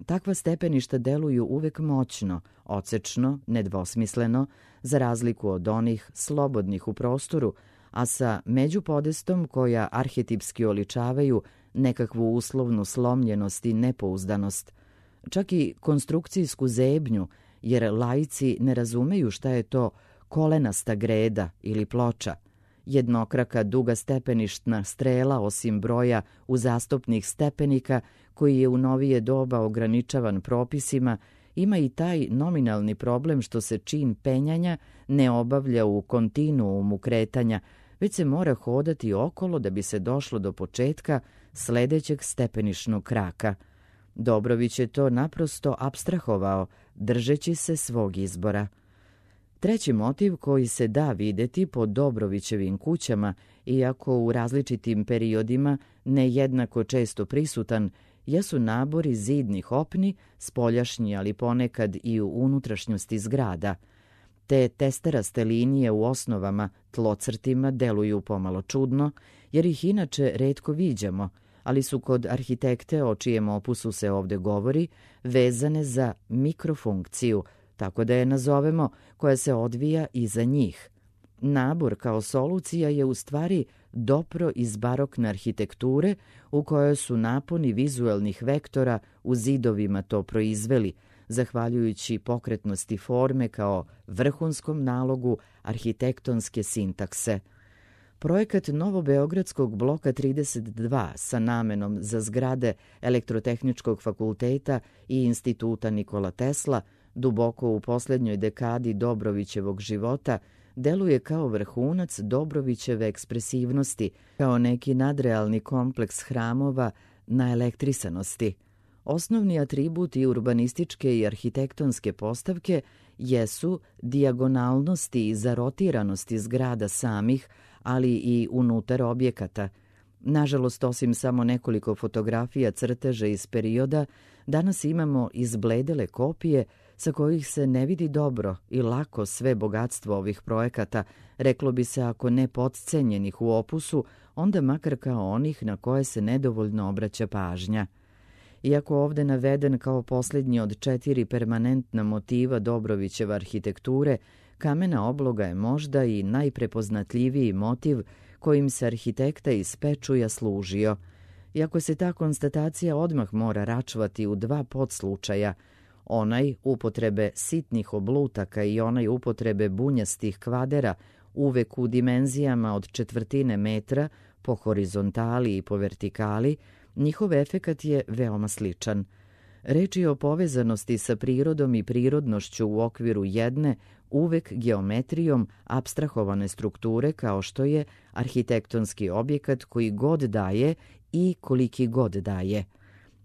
Takva stepeništa deluju uvek moćno, ocečno, nedvosmisleno, za razliku od onih slobodnih u prostoru, a sa međupodestom koja arhetipski oličavaju nekakvu uslovnu slomljenost i nepouzdanost. Čak i konstrukcijsku zebnju, jer laici ne razumeju šta je to kolenasta greda ili ploča. Jednokraka duga stepeništna strela osim broja uzastopnih stepenika, koji je u novije doba ograničavan propisima, ima i taj nominalni problem što se čin penjanja ne obavlja u kontinuumu kretanja, već se mora hodati okolo da bi se došlo do početka sledećeg stepenišnog kraka. Dobrović je to naprosto apstrahovao, držeći se svog izbora. Treći motiv koji se da videti po Dobrovićevim kućama, iako u različitim periodima nejednako često prisutan, jesu nabori zidnih opni, spoljašnji ali ponekad i u unutrašnjosti zgrada. Te testeraste linije u osnovama, tlocrtima deluju pomalo čudno, jer ih inače retko viđamo, ali su kod arhitekte, o čijem opusu se ovde govori, vezane za mikrofunkciju, tako da je nazovemo, koja se odvija iza njih. Nabor kao solucija je u stvari dopro iz barokne arhitekture u kojoj su naponi vizuelnih vektora u zidovima to proizveli, zahvaljujući pokretnosti forme kao vrhunskom nalogu arhitektonske sintakse. Projekat Novobeogradskog bloka 32 sa namenom za zgrade Elektrotehničkog fakulteta i Instituta Nikola Tesla, duboko u posljednjoj dekadi Dobrovićevog života, deluje kao vrhunac Dobrovićeve ekspresivnosti, kao neki nadrealni kompleks hramova na elektrisanosti. Osnovni atributi urbanističke i arhitektonske postavke jesu dijagonalnosti i zarotiranosti zgrada samih, ali i unutar objekata. Nažalost, osim samo nekoliko fotografija crteža iz perioda, danas imamo izbledele kopije sa kojih se ne vidi dobro i lako sve bogatstvo ovih projekata, reklo bi se ako ne potcenjenih u opusu, onda makar kao onih na koje se nedovoljno obraća pažnja. Iako ovde naveden kao posljednji od 4 permanentna motiva Dobrovićeve arhitekture, kamena obloga je možda i najprepoznatljiviji motiv kojim se arhitekta iz Pečuja služio. Iako se ta konstatacija odmah mora račvati u dva podslučaja, onaj upotrebe sitnih oblutaka i onaj upotrebe bunjastih kvadera, uvek u dimenzijama od četvrtine metra po horizontali i po vertikali, njihov efekat je veoma sličan. Reč je o povezanosti sa prirodom i prirodnošću u okviru jedne, uvek geometrijom apstrahovane strukture kao što je arhitektonski objekat koji god daje i koliki god daje.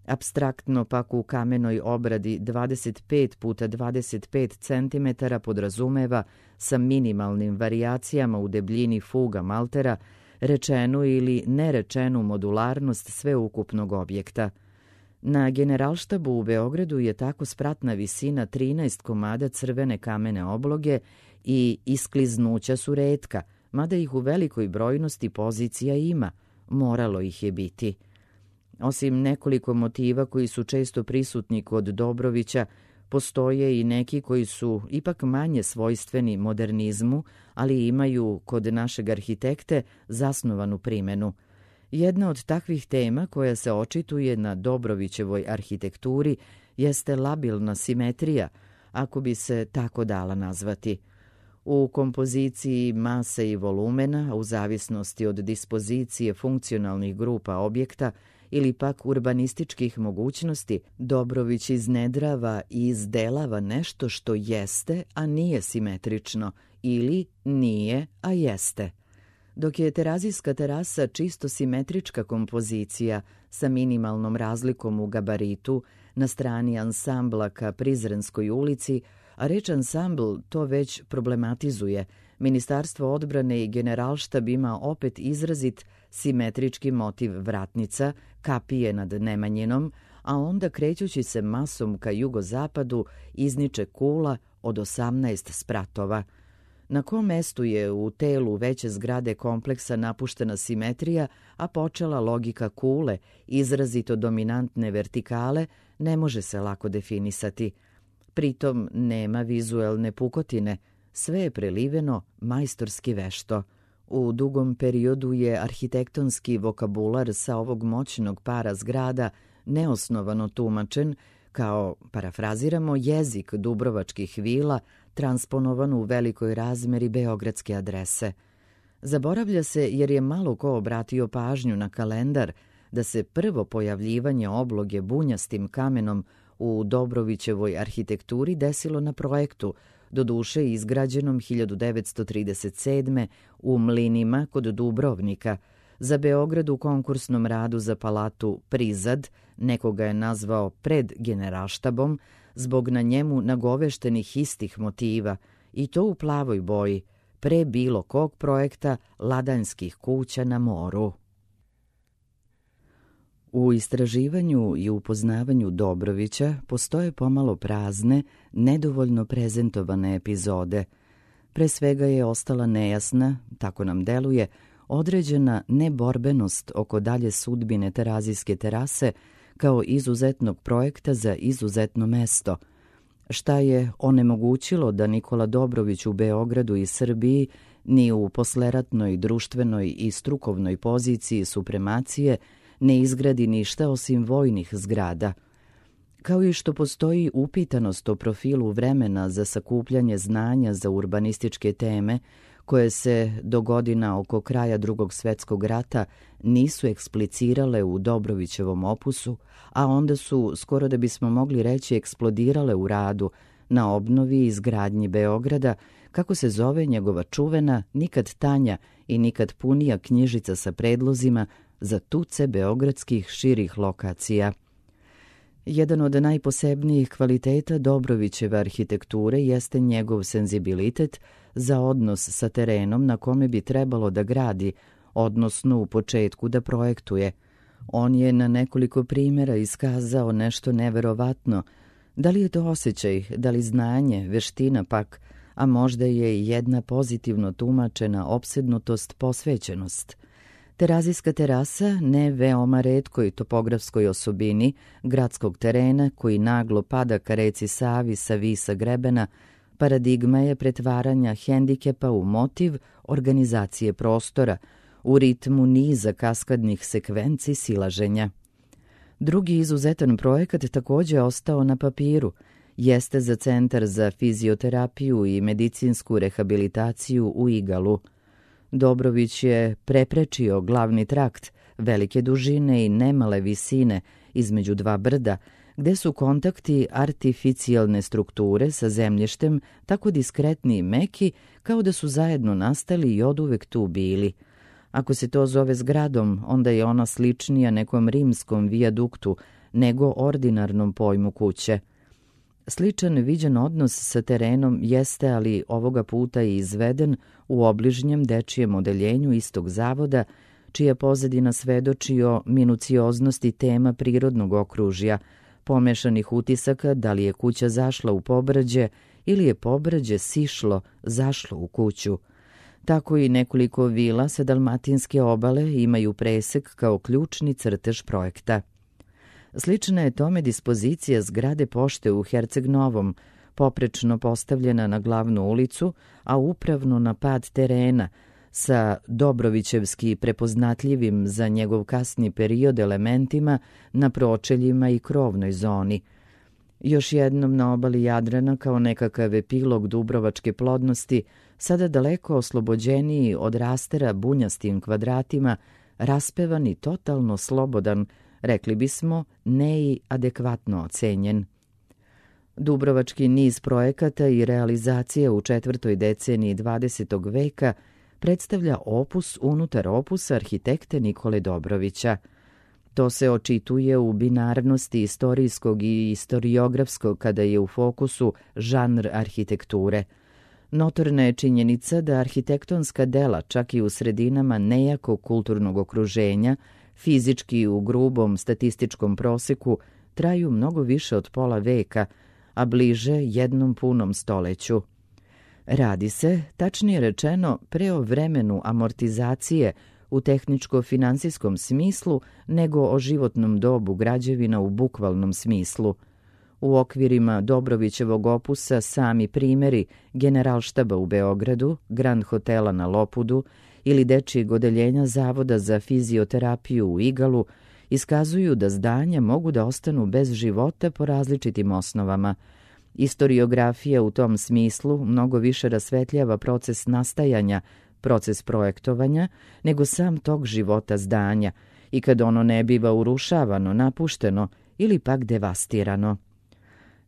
Apstraktno pak u kamenoj obradi 25 puta 25 cm podrazumeva sa minimalnim varijacijama u debljini fuga maltera rečenu ili nerečenu modularnost sveukupnog objekta. Na Generalštabu u Beogradu je tako spratna visina 13 komada crvene kamene obloge i iskliznuća su retka, mada ih u velikoj brojnosti pozicija ima, moralo ih je biti. Osim nekoliko motiva koji su često prisutni kod Dobrovića, postoje i neki koji su ipak manje svojstveni modernizmu, ali imaju kod našeg arhitekte zasnovanu primenu. Jedna od takvih tema koja se očituje na Dobrovićevoj arhitekturi jeste labilna simetrija, ako bi se tako dala nazvati. U kompoziciji mase i volumena, u zavisnosti od dispozicije funkcionalnih grupa objekta ili pak urbanističkih mogućnosti, Dobrović iznedrava i izdelava nešto što jeste, a nije simetrično, ili nije, a jeste. Dok je terazijska terasa čisto simetrička kompozicija sa minimalnom razlikom u gabaritu na strani ansambla ka Prizrenskoj ulici, a reč ansambl to već problematizuje, Ministarstvo odbrane i Generalštab ima opet izrazit simetrički motiv vratnica, kapije nad Nemanjinom, a onda krećući se masom ka jugozapadu izniče kula od 18 spratova. Na kom mestu je u telu veće zgrade kompleksa napuštena simetrija, a počela logika kule, izrazito dominantne vertikale, ne može se lako definisati. Pritom nema vizuelne pukotine, sve je preliveno majstorski vešto. U dugom periodu je arhitektonski vokabular sa ovog moćnog para zgrada neosnovano tumačen kao, parafraziramo, jezik dubrovačkih vila transponovan u velikoj razmeri beogradske adrese. Zaboravlja se jer je malo ko obratio pažnju na kalendar da se prvo pojavljivanje obloge bunjastim kamenom u Dobrovićevoj arhitekturi desilo na projektu, doduše izgrađenom 1937. u Mlinima kod Dubrovnika. Za Beograd u konkursnom radu za palatu Prizad, nekoga je nazvao pred Generalštabom, zbog na njemu nagoveštenih istih motiva, i to u plavoj boji, pre bilo kog projekta ladanjskih kuća na moru. U istraživanju i upoznavanju Dobrovića postoje pomalo prazne, nedovoljno prezentovane epizode. Pre svega je ostala nejasna, tako nam deluje, određena neborbenost oko dalje sudbine terazijske terase kao izuzetnog projekta za izuzetno mesto. Šta je onemogućilo da Nikola Dobrović u Beogradu i Srbiji ni u posleratnoj, društvenoj i strukovnoj poziciji supremacije ne izgradi ništa osim vojnih zgrada. Kao i što postoji upitanost o profilu vremena za sakupljanje znanja za urbanističke teme, koje se do godina oko kraja Drugog svjetskog rata nisu eksplicirale u Dobrovićevom opusu, a onda su, skoro da bismo mogli reći, eksplodirale u radu na obnovi i izgradnji Beograda, kako se zove njegova čuvena, nikad tanja i nikad punija knjižica sa predlozima za tuce beogradskih širih lokacija. Jedan od najposebnijih kvaliteta Dobrovićeve arhitekture jeste njegov senzibilitet za odnos sa terenom na kome bi trebalo da gradi, odnosno u početku da projektuje. On je na nekoliko primjera iskazao nešto neverovatno. Da li je to osjećaj, da li znanje, veština pak, a možda je i jedna pozitivno tumačena opsednutost, posvećenost. Terazijska terasa, ne veoma retkoj topografskoj osobini gradskog terena koji naglo pada ka reci Savi sa visa grebena, Paradigma je pretvaranja hendikepa u motiv organizacije prostora, u ritmu niza kaskadnih sekvenci silaženja. Drugi izuzetan projekat također ostao na papiru, jeste za Centar za fizioterapiju i medicinsku rehabilitaciju u Igalu. Dobrović je preprečio glavni trakt, velike dužine i nemale visine između dva brda, gde su kontakti artificijalne strukture sa zemljištem tako diskretni i meki kao da su zajedno nastali i oduvek tu bili. Ako se to zove zgradom, onda je ona sličnija nekom rimskom vijaduktu nego ordinarnom pojmu kuće. Sličan viđen odnos sa terenom jeste, ali ovoga puta je izveden u obližnjem dečijem odeljenju istog zavoda, čija pozadina svedoči o minucioznosti tema prirodnog okružja, pomešanih utisaka da li je kuća zašla u pobrađe ili je pobrađe sišlo, zašlo u kuću. Tako i nekoliko vila sa dalmatinske obale imaju presek kao ključni crtež projekta. Slična je tome dispozicija zgrade pošte u Herceg Novom, poprečno postavljena na glavnu ulicu, a upravno na pad terena, sa Dobrovićevski prepoznatljivim za njegov kasni period elementima na pročeljima i krovnoj zoni. Još jednom na obali Jadrana, kao nekakav epilog dubrovačke plodnosti, sada daleko oslobođeniji od rastera bunjastim kvadratima, raspevan i totalno slobodan, rekli bismo, ne i adekvatno ocenjen. Dubrovački niz projekata i realizacije u 4. deceniji 20. veka predstavlja opus unutar opusa arhitekte Nikole Dobrovića. To se očituje u binarnosti istorijskog i istoriografskog kada je u fokusu žanr arhitekture. Notorna je činjenica da arhitektonska dela, čak i u sredinama nejakog kulturnog okruženja, fizički u grubom statističkom proseku, traju mnogo više od pola veka, a bliže jednom punom stoleću. Radi se, tačnije rečeno, pre o vremenu amortizacije u tehničko-finansijskom smislu nego o životnom dobu građevina u bukvalnom smislu. U okvirima Dobrovićevog opusa sami primjeri Generalštaba u Beogradu, Grand Hotela na Lopudu ili dečijeg odeljenja Zavoda za fizioterapiju u Igalu iskazuju da zdanja mogu da ostanu bez života po različitim osnovama. Istoriografija u tom smislu mnogo više rasvetljava proces nastajanja, proces projektovanja, nego sam tog života zdanja i kad ono ne biva urušavano, napušteno ili pak devastirano.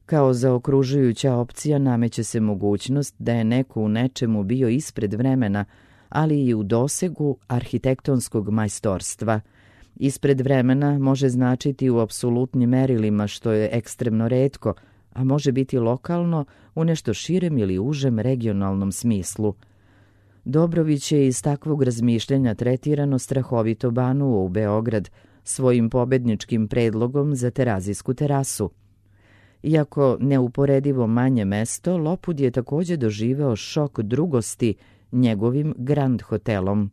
Kao zaokružujuća opcija nameće se mogućnost da je neko u nečemu bio ispred vremena, ali i u dosegu arhitektonskog majstorstva. Ispred vremena može značiti u apsolutnim merilima, što je ekstremno retko, a može biti lokalno u nešto širem ili užem regionalnom smislu. Dobrović je iz takvog razmišljanja tretirano strahovito banuo u Beograd svojim pobedničkim predlogom za Terazijsku terasu. Iako neuporedivo manje mesto, Lopud je također doživeo šok drugosti njegovim Grand Hotelom.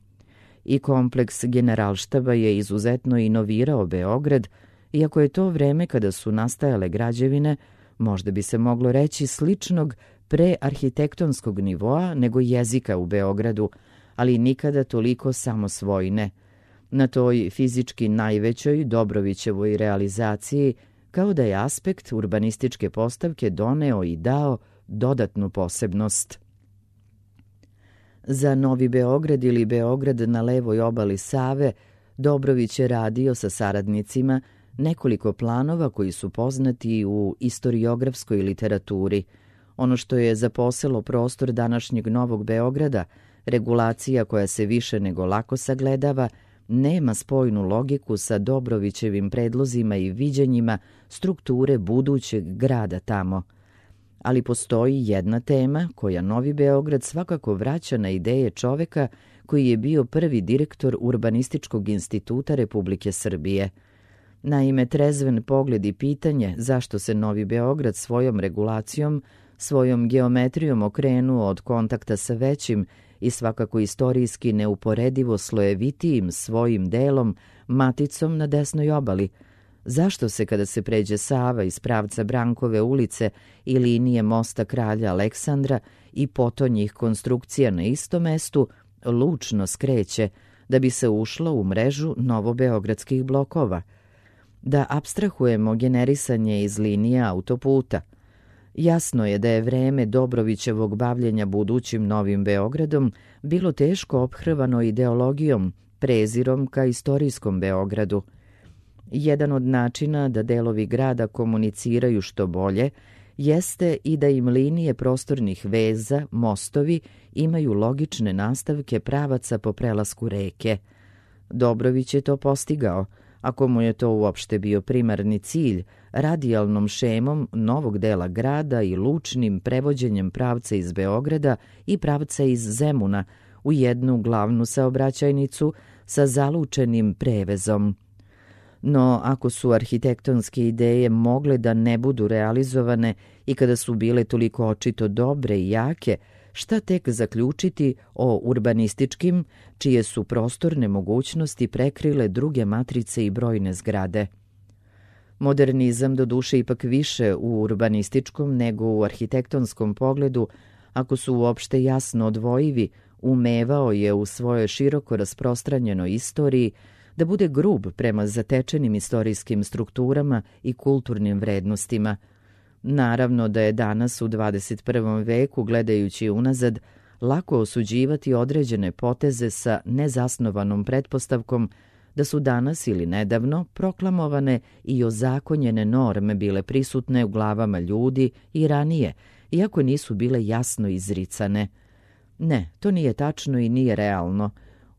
I kompleks Generalštaba je izuzetno inovirao Beograd, iako je to vreme kada su nastajale građevine, možda bi se moglo reći sličnog prearhitektonskog nivoa nego jezika u Beogradu, ali nikada toliko samosvojne. Na toj fizički najvećoj Dobrovićevoj realizaciji, kao da je aspekt urbanističke postavke doneo i dao dodatnu posebnost. Za Novi Beograd ili Beograd na levoj obali Save, Dobrović je radio sa saradnicima nekoliko planova koji su poznati u istoriografskoj literaturi. Ono što je zaposelo prostor današnjeg Novog Beograda, regulacija koja se više nego lako sagledava, nema spojnu logiku sa Dobrovićevim predlozima i viđenjima strukture budućeg grada tamo. Ali postoji jedna tema koja Novi Beograd svakako vraća na ideje čoveka koji je bio prvi direktor Urbanističkog instituta Republike Srbije. Naime, trezven pogled i pitanje zašto se Novi Beograd svojom regulacijom, svojom geometrijom okrenuo od kontakta sa većim i svakako istorijski neuporedivo slojevitijim svojim delom, maticom na desnoj obali, Zašto se kada se pređe Sava iz pravca Brankove ulice i linije mosta Kralja Aleksandra i potonjih konstrukcija na istom mestu lučno skreće da bi se ušlo u mrežu novobeogradskih blokova? Da apstrahujemo generisanje iz linije autoputa. Jasno je da je vreme Dobrovićevog bavljenja budućim Novim Beogradom bilo teško ophrvano ideologijom, prezirom ka istorijskom Beogradu. Jedan od načina da delovi grada komuniciraju što bolje jeste i da im linije prostornih veza, mostovi, imaju logične nastavke pravaca po prelasku reke. Dobrović je to postigao, ako mu je to uopšte bio primarni cilj, radijalnom šemom novog dela grada i lučnim prevođenjem pravca iz Beograda i pravca iz Zemuna u jednu glavnu saobraćajnicu sa zalučenim prevezom. No, ako su arhitektonske ideje mogle da ne budu realizovane i kada su bile toliko očito dobre i jake, šta tek zaključiti o urbanističkim, čije su prostorne mogućnosti prekrile druge matrice i brojne zgrade? Modernizam doduše ipak više u urbanističkom nego u arhitektonskom pogledu, ako su uopšte jasno odvojivi, umevao je u svojoj široko rasprostranjenoj istoriji da bude grub prema zatečenim istorijskim strukturama i kulturnim vrednostima. Naravno da je danas u 21. veku, gledajući unazad, lako osuđivati određene poteze sa nezasnovanom pretpostavkom da su danas ili nedavno proklamovane i ozakonjene norme bile prisutne u glavama ljudi i ranije, iako nisu bile jasno izricane. Ne, to nije tačno i nije realno.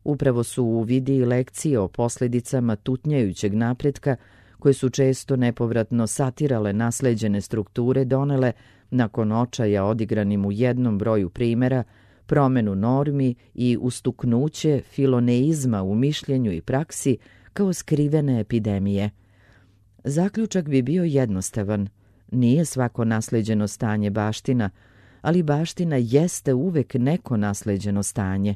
Upravo su uvidi i lekcije o posljedicama tutnjajućeg napretka, koje su često nepovratno satirale nasleđene strukture, donele, nakon očaja odigranim u jednom broju primjera, promenu normi i ustuknuće filoneizma u mišljenju i praksi kao skrivene epidemije. Zaključak bi bio jednostavan. Nije svako nasleđeno stanje baština, ali baština jeste uvek neko nasleđeno stanje.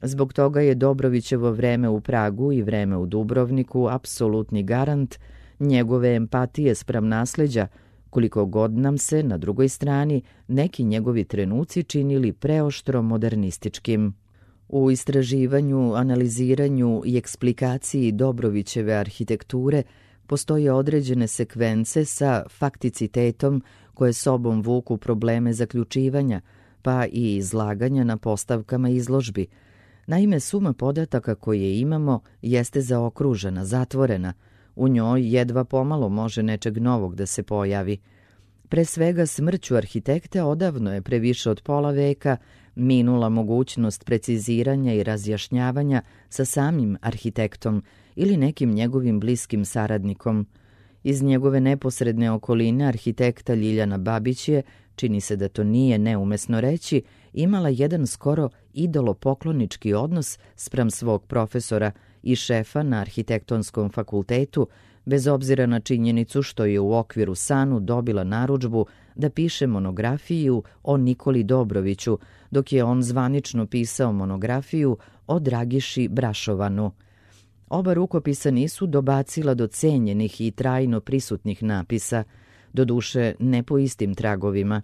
Zbog toga je Dobrovićevo vreme u Pragu i vreme u Dubrovniku apsolutni garant njegove empatije spram nasleđa, koliko god nam se, na drugoj strani, neki njegovi trenuci činili preoštro modernističkim. U istraživanju, analiziranju i eksplikaciji Dobrovićeve arhitekture postoje određene sekvence sa fakticitetom koje sobom vuku probleme zaključivanja, pa i izlaganja na postavkama izložbi. Naime, suma podataka koje imamo jeste zaokružena, zatvorena. U njoj jedva pomalo može nečeg novog da se pojavi. Pre svega, smrću arhitekta odavno je previše od pola veka minula mogućnost preciziranja i razjašnjavanja sa samim arhitektom ili nekim njegovim bliskim saradnikom. Iz njegove neposredne okoline arhitekta Ljiljana Babić je, čini se da to nije neumesno reći, imala jedan skoro idolopoklonički odnos spram svog profesora i šefa na arhitektonskom fakultetu, bez obzira na činjenicu što je u okviru SANU dobila narudžbu da piše monografiju o Nikoli Dobroviću, dok je on zvanično pisao monografiju o Dragiši Brašovanu. Oba rukopisa nisu dobacila do cenjenih i trajno prisutnih napisa, doduše ne po istim tragovima.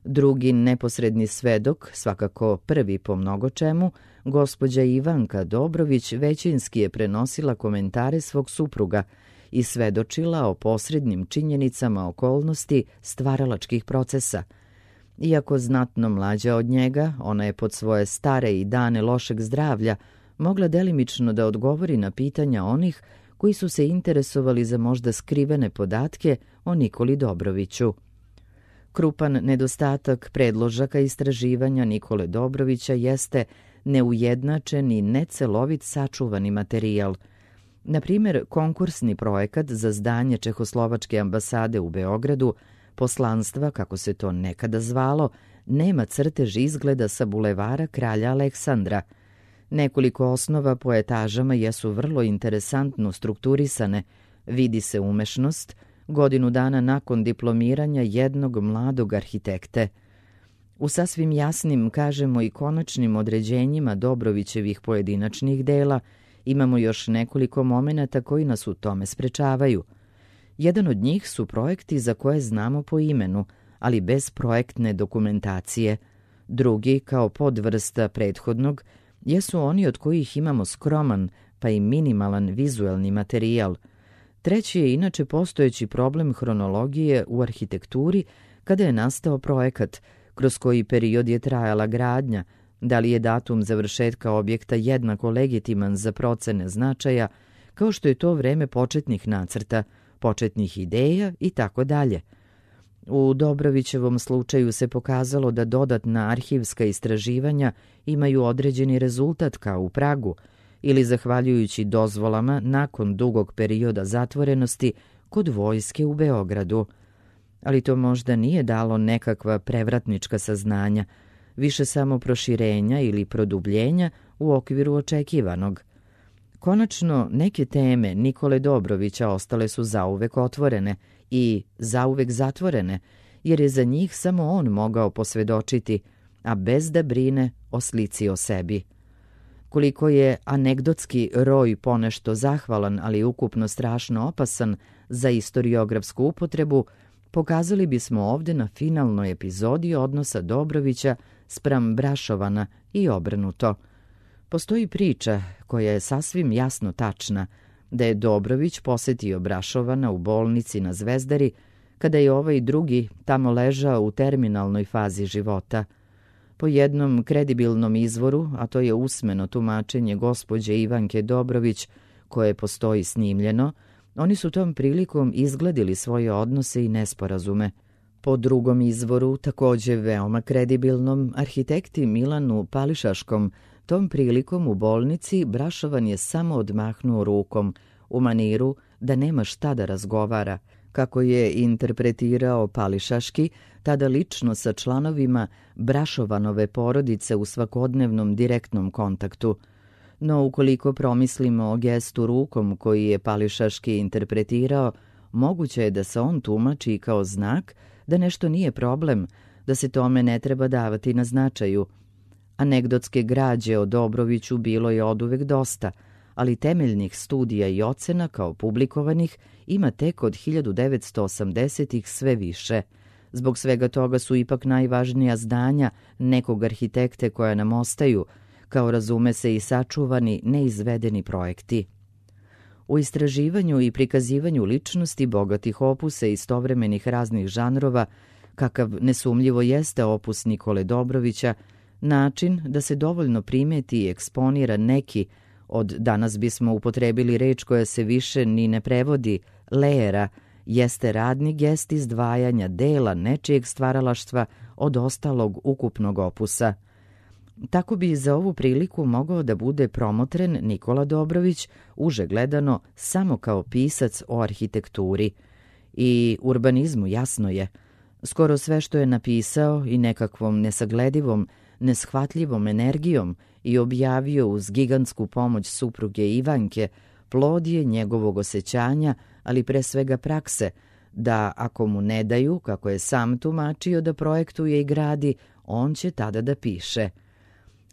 Drugi neposredni svedok, svakako prvi po mnogo čemu, gospođa Ivanka Dobrović većinski je prenosila komentare svog supruga i svedočila o posrednim činjenicama okolnosti stvaralačkih procesa. Iako znatno mlađa od njega, ona je pod svoje stare i dane lošeg zdravlja mogla delimično da odgovori na pitanja onih koji su se interesovali za možda skrivene podatke o Nikoli Dobroviću. Krupan nedostatak predložaka istraživanja Nikole Dobrovića jeste neujednačen i necelovit sačuvani materijal. Na primjer, konkursni projekat za zdanje Čehoslovačke ambasade u Beogradu, poslanstva, kako se to nekada zvalo, nema crtež izgleda sa bulevara Kralja Aleksandra. Nekoliko osnova po etažama jesu vrlo interesantno strukturisane, vidi se umešnost, godinu dana nakon diplomiranja jednog mladog arhitekte. U sasvim jasnim, kažemo i konačnim određenjima Dobrovićevih pojedinačnih dela imamo još nekoliko momenata koji nas u tome sprečavaju. Jedan od njih su projekti za koje znamo po imenu, ali bez projektne dokumentacije. Drugi, kao podvrsta prethodnog, jesu oni od kojih imamo skroman pa i minimalan vizuelni materijal. Treći je inače postojeći problem hronologije u arhitekturi kada je nastao projekat, kroz koji period je trajala gradnja, da li je datum završetka objekta jednako legitiman za procene značaja, kao što je to vreme početnih nacrta, početnih ideja i tako dalje. U Dobrovićevom slučaju se pokazalo da dodatna arhivska istraživanja imaju određeni rezultat kao u Pragu, ili zahvaljujući dozvolama nakon dugog perioda zatvorenosti kod vojske u Beogradu. Ali to možda nije dalo nekakva prevratnička saznanja, više samo proširenja ili produbljenja u okviru očekivanog. Konačno, neke teme Nikole Dobrovića ostale su zauvek otvorene i zauvek zatvorene, jer je za njih samo on mogao posvedočiti, a bez da brine o slici o sebi. Koliko je anegdotski roj ponešto zahvalan, ali ukupno strašno opasan za istoriografsku upotrebu, pokazali bismo ovde na finalnoj epizodi odnosa Dobrovića spram Brašovana i obrnuto. Postoji priča koja je sasvim jasno tačna, da je Dobrović posetio Brašovana u bolnici na Zvezdari, kada je ovaj drugi tamo ležao u terminalnoj fazi života. Po jednom kredibilnom izvoru, a to je usmeno tumačenje gospođe Ivanke Dobrović, koje postoji snimljeno, oni su tom prilikom izgladili svoje odnose i nesporazume. Po drugom izvoru, takođe veoma kredibilnom, arhitekti Milanu Pališaškom, tom prilikom u bolnici Brašovan je samo odmahnuo rukom, u maniru da nema šta da razgovara, kako je interpretirao Pališaški, tada lično sa članovima Brašovanove porodice u svakodnevnom direktnom kontaktu. No ukoliko promislimo o gestu rukom koji je Pališaški interpretirao, moguće je da se on tumači kao znak da nešto nije problem, da se tome ne treba davati na značaju. Anegdotske građe o Dobroviću bilo je oduvek dosta, ali temeljnih studija i ocena kao publikovanih ima tek od 1980-ih sve više. Zbog svega toga su ipak najvažnija zdanja nekog arhitekte koja nam ostaju, kao razume se i sačuvani, neizvedeni projekti. U istraživanju i prikazivanju ličnosti bogatih opusa i istovremenih raznih žanrova, kakav nesumljivo jeste opus Nikole Dobrovića, način da se dovoljno primeti i eksponira neki, od danas bismo upotrebili reč koja se više ni ne prevodi, lejera, jeste radni gest izdvajanja dela nečijeg stvaralaštva od ostalog ukupnog opusa. Tako bi za ovu priliku mogao da bude promotren Nikola Dobrović, uže gledano samo kao pisac o arhitekturi. I urbanizmu jasno je. Skoro sve što je napisao i nekakvom nesagledivom, neshvatljivom energijom i objavio uz gigantsku pomoć supruge Ivanke, plod je njegovog osjećanja, ali pre svega prakse, da ako mu ne daju, kako je sam tumačio da projektuje i gradi, on će tada da piše.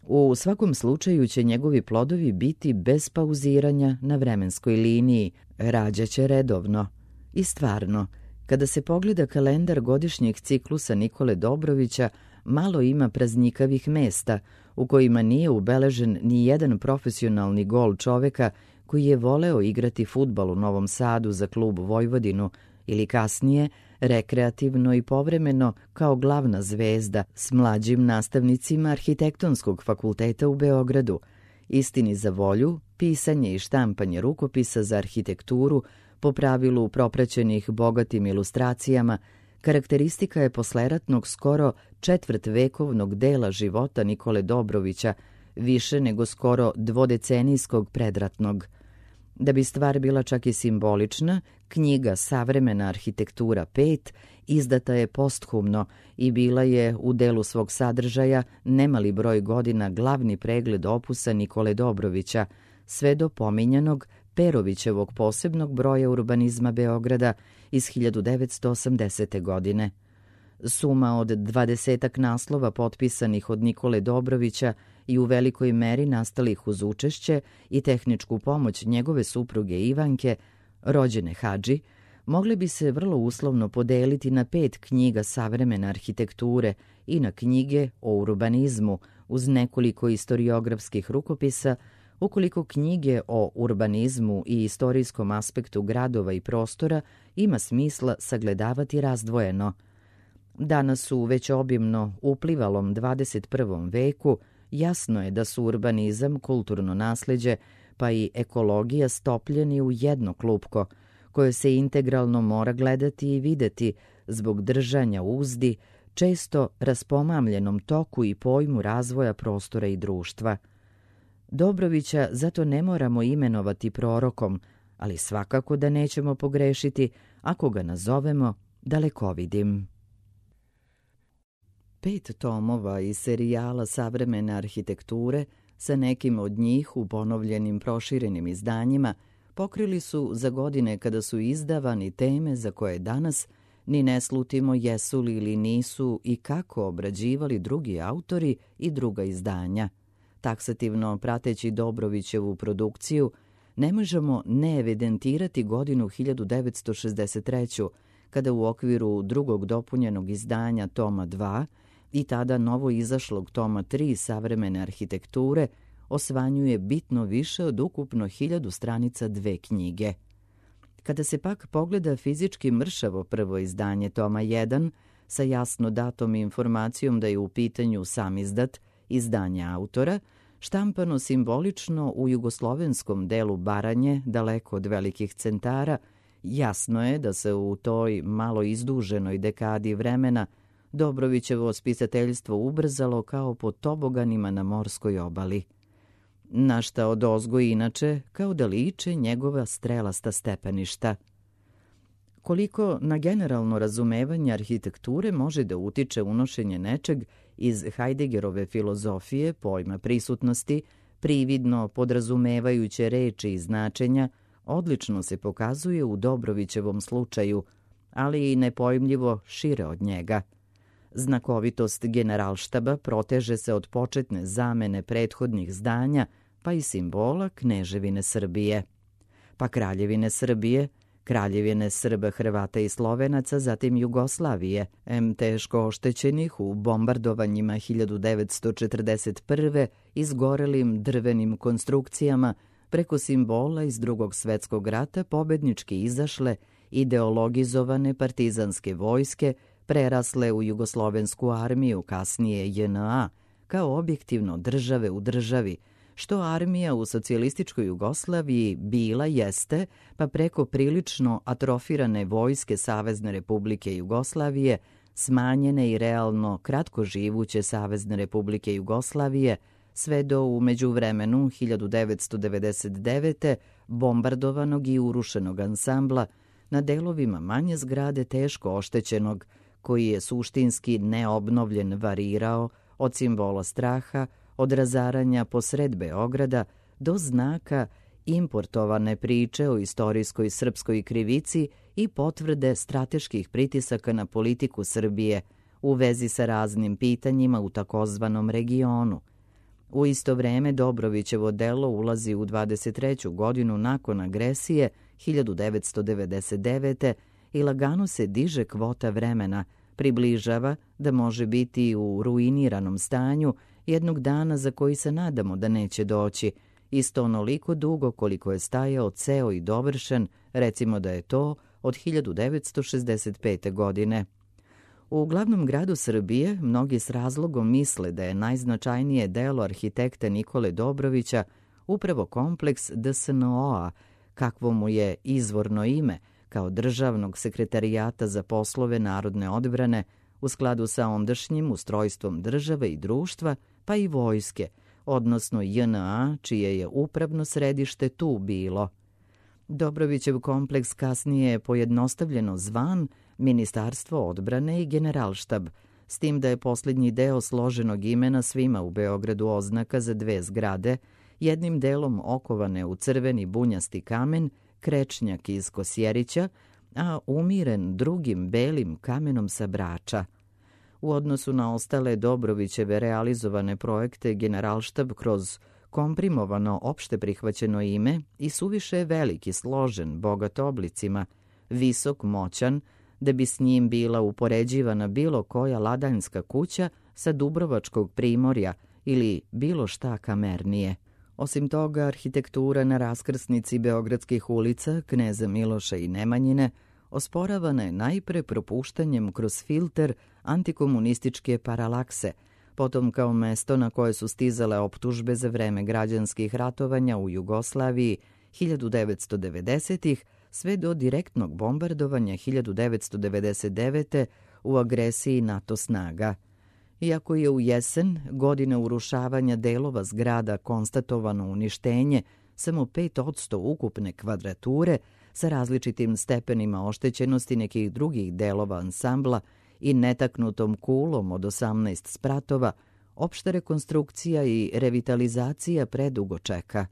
U svakom slučaju će njegovi plodovi biti bez pauziranja na vremenskoj liniji, rađaće redovno. I stvarno, kada se pogleda kalendar godišnjeg ciklusa Nikole Dobrovića, malo ima praznikavih mesta u kojima nije ubeležen ni jedan profesionalni gol čoveka koji je voleo igrati fudbal u Novom Sadu za klub Vojvodinu ili kasnije rekreativno i povremeno kao glavna zvezda s mlađim nastavnicima Arhitektonskog fakulteta u Beogradu. Istini za volju, pisanje i štampanje rukopisa za arhitekturu, po pravilu propraćenih bogatim ilustracijama, karakteristika je posleratnog skoro četvrtvekovnog dela života Nikole Dobrovića, više nego skoro dvodecenijskog predratnog. Da bi stvar bila čak i simbolična, knjiga Savremena arhitektura 5 izdata je posthumno i bila je u delu svog sadržaja nemali broj godina glavni pregled opusa Nikole Dobrovića, sve do pominjanog Perovićevog posebnog broja urbanizma Beograda iz 1980. godine. Suma od 20 naslova potpisanih od Nikole Dobrovića i u velikoj meri nastalih uz učešće i tehničku pomoć njegove supruge Ivanke, rođene Hadži, mogle bi se vrlo uslovno podeliti na 5 knjiga savremene arhitekture i na knjige o urbanizmu uz nekoliko istoriografskih rukopisa, ukoliko knjige o urbanizmu i istorijskom aspektu gradova i prostora ima smisla sagledavati razdvojeno. Danas u već obimno uplivalom 21. veku jasno je da su urbanizam, kulturno nasleđe, pa i ekologija stopljeni u jedno klupko, koje se integralno mora gledati i videti zbog držanja uzdi, često raspomamljenom toku i pojmu razvoja prostora i društva. Dobrovića zato ne moramo imenovati prorokom, ali svakako da nećemo pogrešiti ako ga nazovemo dalekovidim. 5 tomova iz serijala savremene arhitekture, sa nekim od njih u ponovljenim proširenim izdanjima, pokrili su za godine kada su izdavani teme za koje danas ni ne slutimo jesu li ili nisu i kako obrađivali drugi autori i druga izdanja. Taksativno prateći Dobrovićevu produkciju, ne možemo ne evidentirati godinu 1963. kada u okviru drugog dopunjenog izdanja toma 2 i tada novo izašlog toma 3 savremene arhitekture osvanjuje bitno više od ukupno 1000 stranica 2 knjige. Kada se pak pogleda fizički mršavo prvo izdanje toma 1 sa jasno datom informacijom da je u pitanju samizdat, izdanje autora, štampano simbolično u jugoslovenskom delu Baranje, daleko od velikih centara, jasno je da se u toj malo izduženoj dekadi vremena Dobrovićevo spisateljstvo ubrzalo kao po toboganima na morskoj obali. Na šta odozgo inače, kao da liče njegova strelasta stepeništa. Koliko na generalno razumevanje arhitekture može da utiče unošenje nečeg iz Heideggerove filozofije, pojma prisutnosti, prividno podrazumevajuće reči i značenja, odlično se pokazuje u Dobrovićevom slučaju, ali i nepojmljivo šire od njega. Znakovitost Generalštaba proteže se od početne zamene prethodnih zdanja, pa i simbola Kneževine Srbije. Pa Kraljevine Srbije, Kraljevine Srba, Hrvata i Slovenaca, zatim Jugoslavije, teško oštećenih u bombardovanjima 1941. izgorelim drvenim konstrukcijama, preko simbola iz Drugog svetskog rata pobednički izašle ideologizovane partizanske vojske, prerasle u Jugoslovensku armiju, kasnije JNA, kao objektivno države u državi, što armija u socijalističkoj Jugoslaviji bila jeste, pa preko prilično atrofirane vojske Savezne Republike Jugoslavije, smanjene i realno kratko živuće Savezne Republike Jugoslavije, sve do u međuvremenu 1999. bombardovanog i urušenog ansambla na delovima manje zgrade teško oštećenog, koji je suštinski neobnovljen varirao od simbola straha, od razaranja posred Beograda do znaka importovane priče o istorijskoj srpskoj krivici i potvrde strateških pritisaka na politiku Srbije u vezi sa raznim pitanjima u takozvanom regionu. U isto vreme Dobrovićevo delo ulazi u 23. godinu nakon agresije 1999. i lagano se diže kvota vremena, približava da može biti u ruiniranom stanju jednog dana za koji se nadamo da neće doći, isto onoliko dugo koliko je stajao ceo i dovršen, recimo da je to od 1965. godine. U glavnom gradu Srbije mnogi s razlogom misle da je najznačajnije delo arhitekta Nikole Dobrovića upravo kompleks DSNO-a, kakvo mu je izvorno ime, kao državnog sekretarijata za poslove narodne odbrane u skladu sa ondašnjim ustrojstvom države i društva, pa i vojske, odnosno JNA, čije je upravno središte tu bilo. Dobrovićev kompleks kasnije je pojednostavljeno zvan Ministarstvo odbrane i Generalštab, s tim da je posljednji deo složenog imena svima u Beogradu oznaka za 2 zgrade, jednim delom okovane u crveni bunjasti kamen, krečnjak iz Kosjerića, a umiren drugim belim kamenom sa Brača. U odnosu na ostale Dobrovićeve realizovane projekte, Generalštab kroz komprimovano opšte prihvaćeno ime i suviše veliki, složen, bogat oblicima, visok, moćan, da bi s njim bila upoređivana bilo koja ladanjska kuća sa Dubrovačkog primorja ili bilo šta kamernije. Osim toga, arhitektura na raskrsnici beogradskih ulica, Kneza Miloša i Nemanjine, osporavana je najpre propuštanjem kroz filter antikomunističke paralakse, potom kao mesto na koje su stizale optužbe za vreme građanskih ratovanja u Jugoslaviji 1990-ih sve do direktnog bombardovanja 1999. u agresiji NATO snaga. Iako je u jesen, godine urušavanja delova zgrada, konstatovano uništenje samo 5% ukupne kvadrature sa različitim stepenima oštećenosti nekih drugih delova ansambla i netaknutom kulom od 18 spratova, opšta rekonstrukcija i revitalizacija predugo čeka.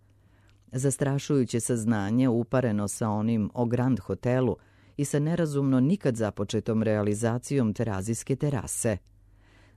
Zastrašujuće saznanje upareno sa onim o Grand hotelu i sa nerazumno nikad započetom realizacijom terazijske terase.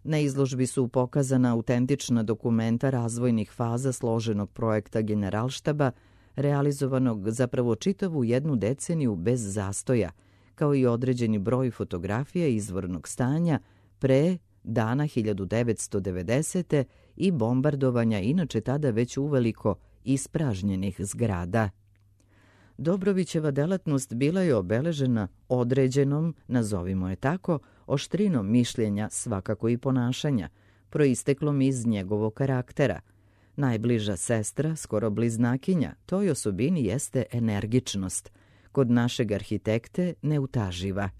Na izložbi su pokazana autentična dokumenta razvojnih faza složenog projekta Generalštaba, realizovanog zapravo čitavu jednu deceniju bez zastoja, kao i određeni broj fotografija izvornog stanja pre dana 1990. i bombardovanja inače tada već uveliko ispražnjenih zgrada. Dobrovićeva delatnost bila je obeležena određenom, nazovimo je tako, oštrinom mišljenja, svakako i ponašanja, proisteklom iz njegovog karaktera. Najbliža sestra, skoro bliznakinja, toj osobini jeste energičnost, kod našeg arhitekte neutaživa.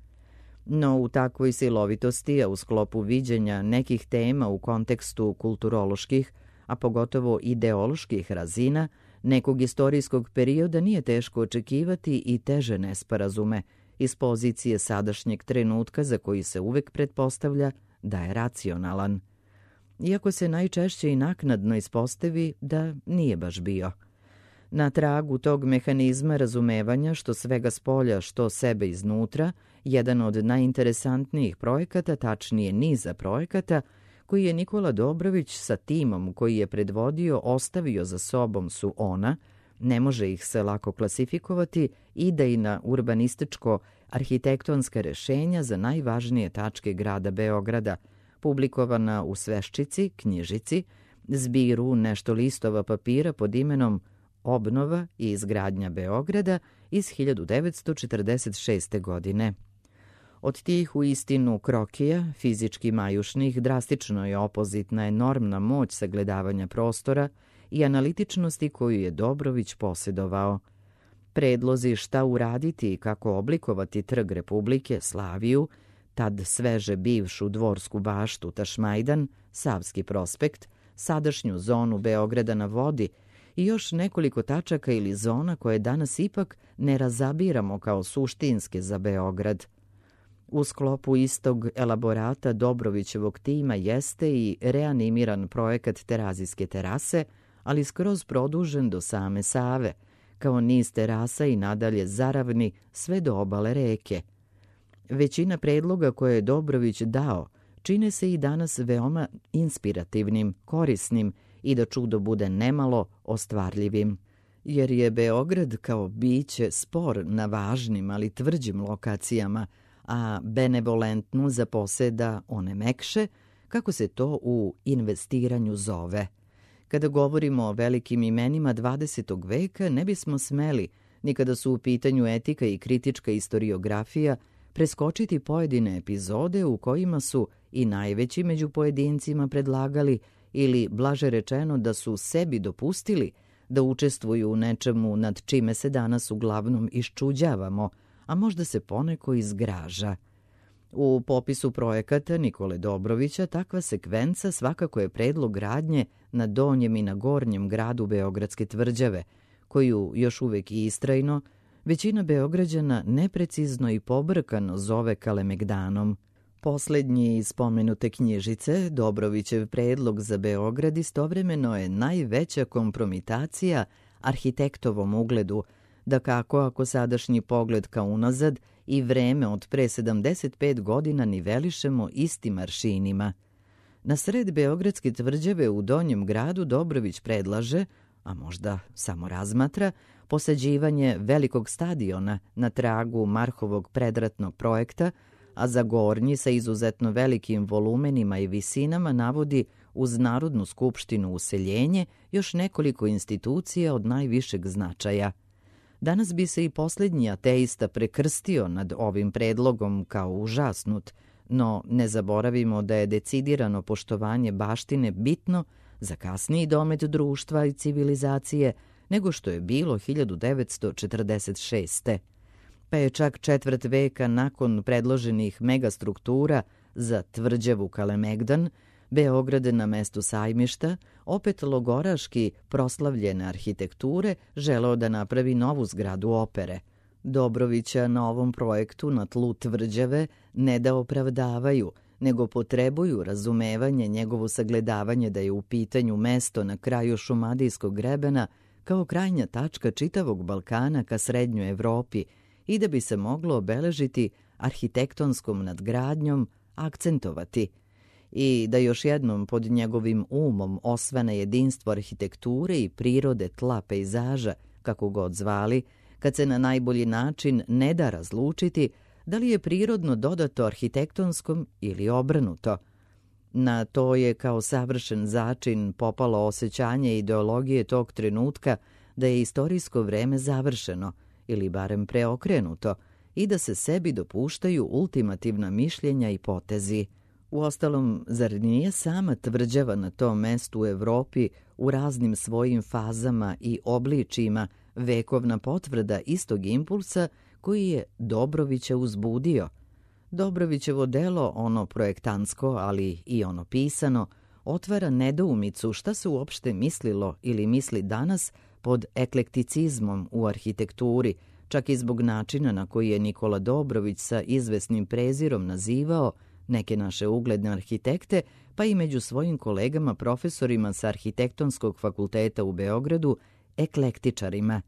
No u takvoj silovitosti, a u sklopu viđenja nekih tema u kontekstu kulturoloških, a pogotovo ideoloških razina, nekog istorijskog perioda nije teško očekivati i teže nesporazume iz pozicije sadašnjeg trenutka za koji se uvek pretpostavlja da je racionalan. Iako se najčešće i naknadno ispostavi da nije baš bio. Na tragu tog mehanizma razumevanja što svega spolja, što sebe iznutra, jedan od najinteresantnijih projekata, tačnije niza projekata, koji je Nikola Dobrović sa timom koji je predvodio ostavio za sobom su ona, ne može ih se lako klasifikovati, idejna urbanističko-arhitektonska rešenja za najvažnije tačke grada Beograda, publikovana u Sveščici, knjižici, zbiru nešto listova papira pod imenom Obnova i izgradnja Beograda iz 1946. godine. Od tih u istinu krokija, fizički majušnih, drastično je opozitna enormna moć sagledavanja prostora i analitičnosti koju je Dobrović posjedovao. Predlozi šta uraditi i kako oblikovati Trg Republike, Slaviju, tad sveže bivšu Dvorsku baštu, Tašmajdan, Savski prospekt, sadašnju zonu Beograda na vodi i još nekoliko tačaka ili zona koje danas ipak ne razabiramo kao suštinske za Beograd. U sklopu istog elaborata Dobrovićevog tima jeste i reanimiran projekat terazijske terase, ali skroz produžen do same Save, kao niz terasa i nadalje zaravni sve do obale reke. Većina predloga koje je Dobrović dao čine se i danas veoma inspirativnim, korisnim i da čudo bude nemalo ostvarljivim. Jer je Beograd kao biće spor na važnim, ali tvrđim lokacijama, a benevolentnu zaposeda one mekše, kako se to u investiranju zove. Kada govorimo o velikim imenima 20. veka, ne bismo smeli, ni kada su u pitanju etika i kritička istoriografija, preskočiti pojedine epizode u kojima su i najveći među pojedincima predlagali ili, blaže rečeno, da su sebi dopustili da učestvuju u nečemu nad čime se danas uglavnom iščuđavamo, a možda se poneko izgraža. U popisu projekata Nikole Dobrovića takva sekvenca svakako je predlog gradnje na donjem i na gornjem gradu Beogradske tvrđave, koju još uvek istrajno većina Beograđana neprecizno i pobrkano zove Kalemegdanom. Poslednji iz spomenute knjižice, Dobrovićev predlog za Beograd, istovremeno je najveća kompromitacija arhitektovom ugledu, da kako ako sadašnji pogled ka unazad i vreme od pre 75 godina nivelišemo istim aršinima. Na sred Beogradske tvrđave u donjem gradu Dobrović predlaže, a možda samo razmatra, posađivanje velikog stadiona na tragu Marhovog predratnog projekta, a za gornji sa izuzetno velikim volumenima i visinama navodi uz Narodnu skupštinu useljenje još nekoliko institucija od najvišeg značaja. Danas bi se i posljednji ateista prekrstio nad ovim predlogom kao užasnut, no ne zaboravimo da je decidirano poštovanje baštine bitno za kasniji domet društva i civilizacije nego što je bilo 1946. Pa je čak četvrt veka nakon predloženih megastruktura za tvrđavu Kalemegdan, Beograd na mestu Sajmišta, opet logoraški proslavljene arhitekture, želeo da napravi novu zgradu opere. Dobrovića na ovom projektu na tlu tvrđave ne da opravdavaju, nego potrebuju razumevanje njegovo sagledavanje da je u pitanju mesto na kraju Šumadijskog grebena kao krajnja tačka čitavog Balkana ka Srednjoj Evropi i da bi se moglo obeležiti arhitektonskom nadgradnjom, akcentovati i da još jednom pod njegovim umom osvane jedinstvo arhitekture i prirode tla pejzaža, kako god zvali, kad se na najbolji način ne da razlučiti da li je prirodno dodato arhitektonskom ili obrnuto. Na to je kao savršen začin popalo osjećanje ideologije tog trenutka da je istorijsko vreme završeno ili barem preokrenuto i da se sebi dopuštaju ultimativna mišljenja i potezi. Uostalom, zar nije sama tvrđava na tom mestu u Evropi u raznim svojim fazama i obličima vekovna potvrda istog impulsa koji je Dobrovića uzbudio? Dobrovićevo delo, ono projektantsko, ali i ono pisano, otvara nedoumicu šta se uopšte mislilo ili misli danas pod eklekticizmom u arhitekturi, čak i zbog načina na koji je Nikola Dobrović sa izvesnim prezirom nazivao neke naše ugledne arhitekte, pa i među svojim kolegama profesorima sa Arhitektonskog fakulteta u Beogradu, eklektičarima.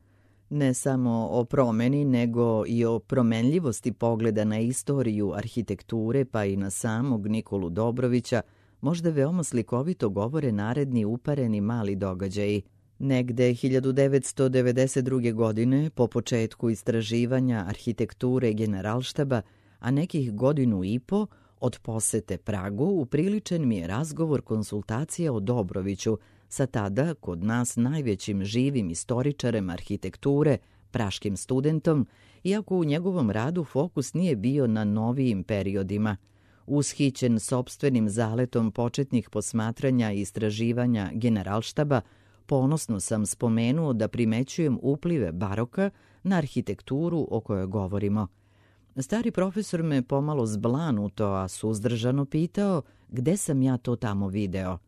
Ne samo o promeni, nego i o promenljivosti pogleda na istoriju arhitekture, pa i na samog Nikolu Dobrovića, možda veoma slikovito govore naredni upareni mali događaji. Negde 1992. godine, po početku istraživanja arhitekture Generalštaba, a nekih godinu i po od posete Pragu, upriličen mi je razgovor konsultacija o Dobroviću sa tada kod nas najvećim živim istoričarem arhitekture, praškim studentom, iako u njegovom radu fokus nije bio na novijim periodima. Ushićen sopstvenim zaletom početnih posmatranja i istraživanja Generalštaba, ponosno sam spomenuo da primećujem uplive baroka na arhitekturu o kojoj govorimo. Stari profesor me pomalo zblanuto, a suzdržano pitao gde sam ja to tamo video.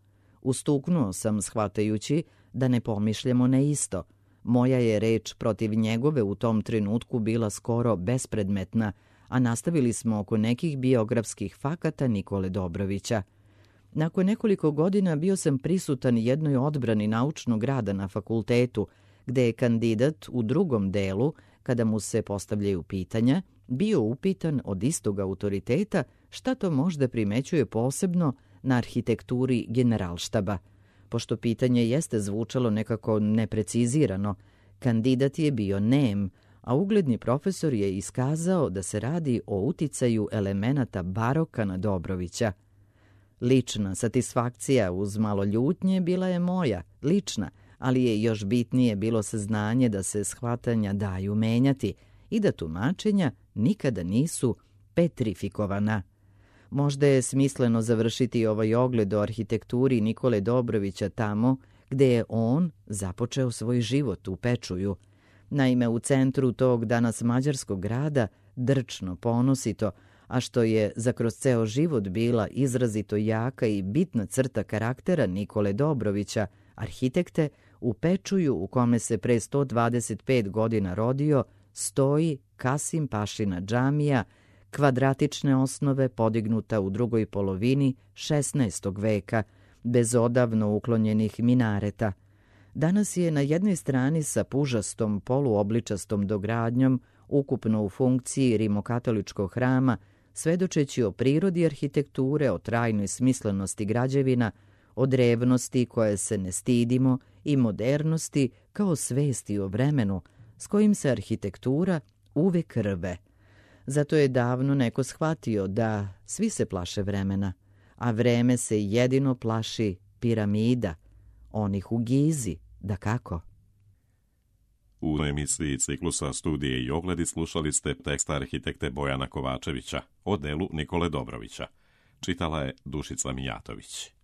Ustuknuo sam shvatajući da ne pomišljamo na isto. Moja je reč protiv njegove u tom trenutku bila skoro bespredmetna, a nastavili smo oko nekih biografskih fakata Nikole Dobrovića. Nakon nekoliko godina bio sam prisutan jednoj odbrani naučnog rada na fakultetu, gde je kandidat u drugom delu, kada mu se postavljaju pitanja, bio upitan od istog autoriteta šta to možda primećuje posebno na arhitekturi Generalštaba. Pošto pitanje jeste zvučalo nekako neprecizirano, kandidat je bio nem, a ugledni profesor je iskazao da se radi o uticaju elemenata baroka na Dobrovića. Lična satisfakcija uz malo ljutnje bila je moja, lična, ali je još bitnije bilo saznanje da se shvatanja daju menjati i da tumačenja nikada nisu petrifikovana. Možda je smisleno završiti ovaj ogled o arhitekturi Nikole Dobrovića tamo gde je on započeo svoj život u Pečuju. Naime, u centru tog danas mađarskog grada, drčno, ponosito, a što je za kroz ceo život bila izrazito jaka i bitna crta karaktera Nikole Dobrovića, arhitekte, u Pečuju u kome se pre 125 godina rodio, stoji Kasim Pašina džamija, kvadratične osnove podignuta u drugoj polovini 16. veka, bez odavno uklonjenih minareta. Danas je na jednoj strani sa pužastom poluobličastom dogradnjom, ukupno u funkciji rimokatoličkog hrama, svedočeći o prirodi arhitekture, o trajnoj smislenosti građevina, o drevnosti koje se ne stidimo i modernosti kao svesti o vremenu s kojim se arhitektura uvek rve. Zato je davno neko shvatio da svi se plaše vremena, a vreme se jedino plaši piramida, onih u Gizi, dakako. U emisiji ciklusa Studije i ogledi slušali ste tekst arhitekte Bojana Kovačevića o delu Nikole Dobrovića. Čitala je Dušica Mijatović.